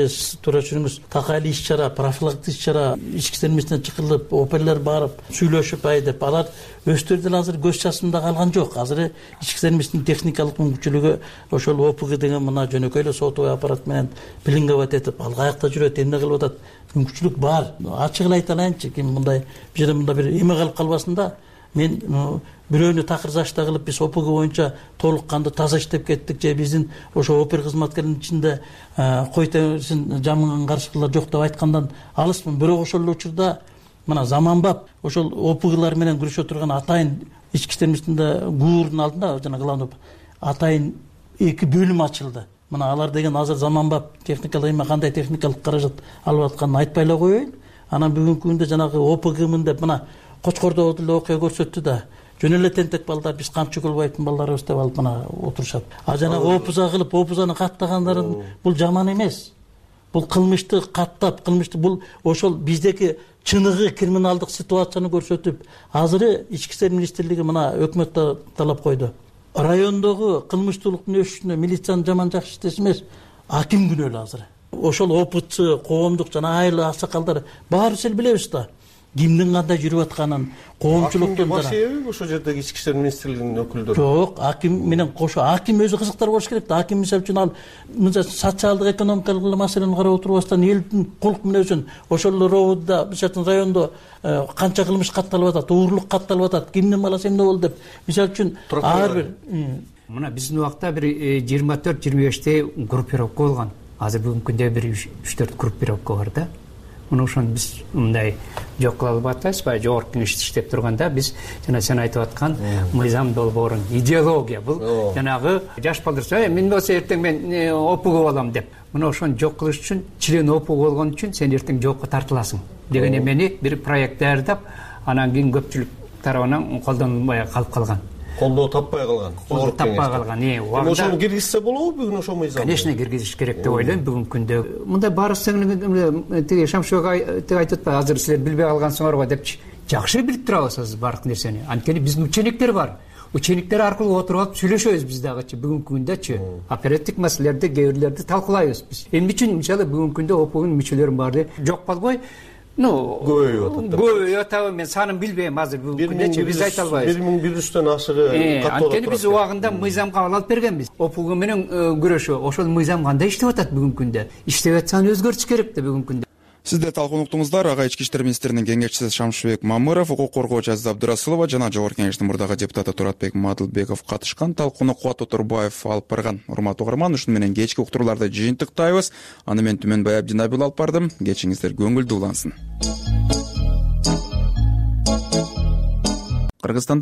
туура түшүнүңүз, такайлы иш-чара, профилактик иш-чара, ички иштер министрлигине чакырылып, оперлер барып, сүйлөшүп деп алар өздөрү деле азыр көз чачымда калган жок. Азыр ички иштер министрлигинин техникалык мүмкүнчүлүгү ошол ОПГ деген мына жөнөкөй эле сотовый аппарат менен пеленговать этип, алга жүрөт, эмне кылып атат, мүмкүнчүлүк бар. Ачыгын айта алайынчы, ким мындай бир жерде мында бир эме калып калбасын да. Мен бирөөнү такыр зашта кылып биз ОПГ боюнча толук кандуу таза иштеп кеттик, же биздин ошо опер кызматкеринин ичинде кой терисин жамыган каршылар жок деп айткандан алыспын. Бирок ошол эле учурда мына заманбап ошол ОПГлар менен күрөшө турган атайын ички иштер министрлигинде ГУРдун алдында жана главный атайын 2 бөлүм ачылды. Мына алар деген азыр заманбап техникалык эме кандай техникалык каражат алып атканын айтпай эле коеюн. Анан бүгүнкү күндө жанагы ОПГмын деп мына Кочкордо деле окуя көрсөттү да. Жөн эле тентек балдар, биз камчы кылбайтын балдарыбыз деп алып мына отурушат. А жанагы ОПЗа кылып, ОПЗаны каттагандарын бул жаман эмес. Бул кылмышты каттап, кылмышты бул ошол биздеки чыныгы криминалдык ситуацияны көрсөтүп, азыр ички иштер министрлиги мына өкмөт талап койду. Райондогу кылмыштуулуктун өсүшүнө милициянын жаман жакшы иштеши эмес, аким күнөөлүү азыр. Ошол опытчы, коомдук жана айыл аксакалдар баарыбыз эле билебиз да. Кимдин кандай жүрүп атканын, коомчулуктун баш эби ошол жердеги ички иштер министрлигинин өкүлдөрү. Жок, аким менен кошо аким өзү кызыктар болуш керек да. Аким мисалы үчүн ал мынча социалдык экономикалык маселени карап отурбастан элдин колук мүнөзүн ошол роодда, мисалы райондо канча кылмыш катталып атат, уурлук катталып атат, кимдин баласы эмне болду деп мисалы үчүн ар бир мына биздин убакта бир 24-25 группировка болгон. Азыр бүгүнкү күндө бир 3-4 группировка бар да. Мына ошону биз мындай жок кыла албай атпайбыз. Баягы жогорку кеңеште иштеп турганда биз жана сен айтып аткан мыйзам долбоорун, идеология бул жанагы жаш балдар мен болсо эртең мен ОПГ болом деп. Мына ошону жок кылыш үчүн член ОПГ болгон үчүн сен эртең жокко тартыласың деген эмени бир проект даярдап, анан кийин көпчүлүк тарабынан колдонулбай калып калган. Колдоо таппай калган. Колдоо таппай калган. Ошону киргизсе болобу бүгүн ошол мыйзам? Конечно, киргизиш керек деп ойлойм бүгүнкү күндө. Мындай баарысы тиги Шамшыбек айтып атпайбы, азыр силер билбей калгансыңарбы депчи. жакшы билип турабыз азыр баардык нерсени. Анткени биздин учениктер бар. Учениктер аркылуу отуруп алып сүйлөшөбүз биз дагычы бүгүнкү күндөчү. Оперативдик маселелерди, кээ бирлерди талкуулайбыз биз. Эмне үчүн мисалы бүгүнкү күндө ОПГнын мүчөлөрүнүн баары жок болбой, көбөйүп атабы, мен санын билбейм азыр бүгүнкү күндөчү, биз айта албайбыз. 1100төн ашыгы катталып. Анткени биз убагында мыйзамга алып бергенбиз. ОПГ менен күрөшүү, ошол мыйзам кандай иштеп атат бүгүнкү күндө? Иштеп атса өзгөртүш керек да бүгүнкү күндө. Сиздер талкуу уктуңуздар. Ага ички иштер министринин кеңешчиси Шамшыбек Мамыров, укук коргоочу Азиза Абдырасулова жана Жогорку Кеңештин мурдагы депутаты Туратбек Мадылбеков катышкан талкууну Кубат Оторбаев алып барган. Урматтуу угарман, ушуну менен кечки уктурууларды жыйынтыктайбыз. Аны мен Түмөнбай Абдинабил алып бардым. Кечиңиздер көңүлдүү улансын. Кыргызстанда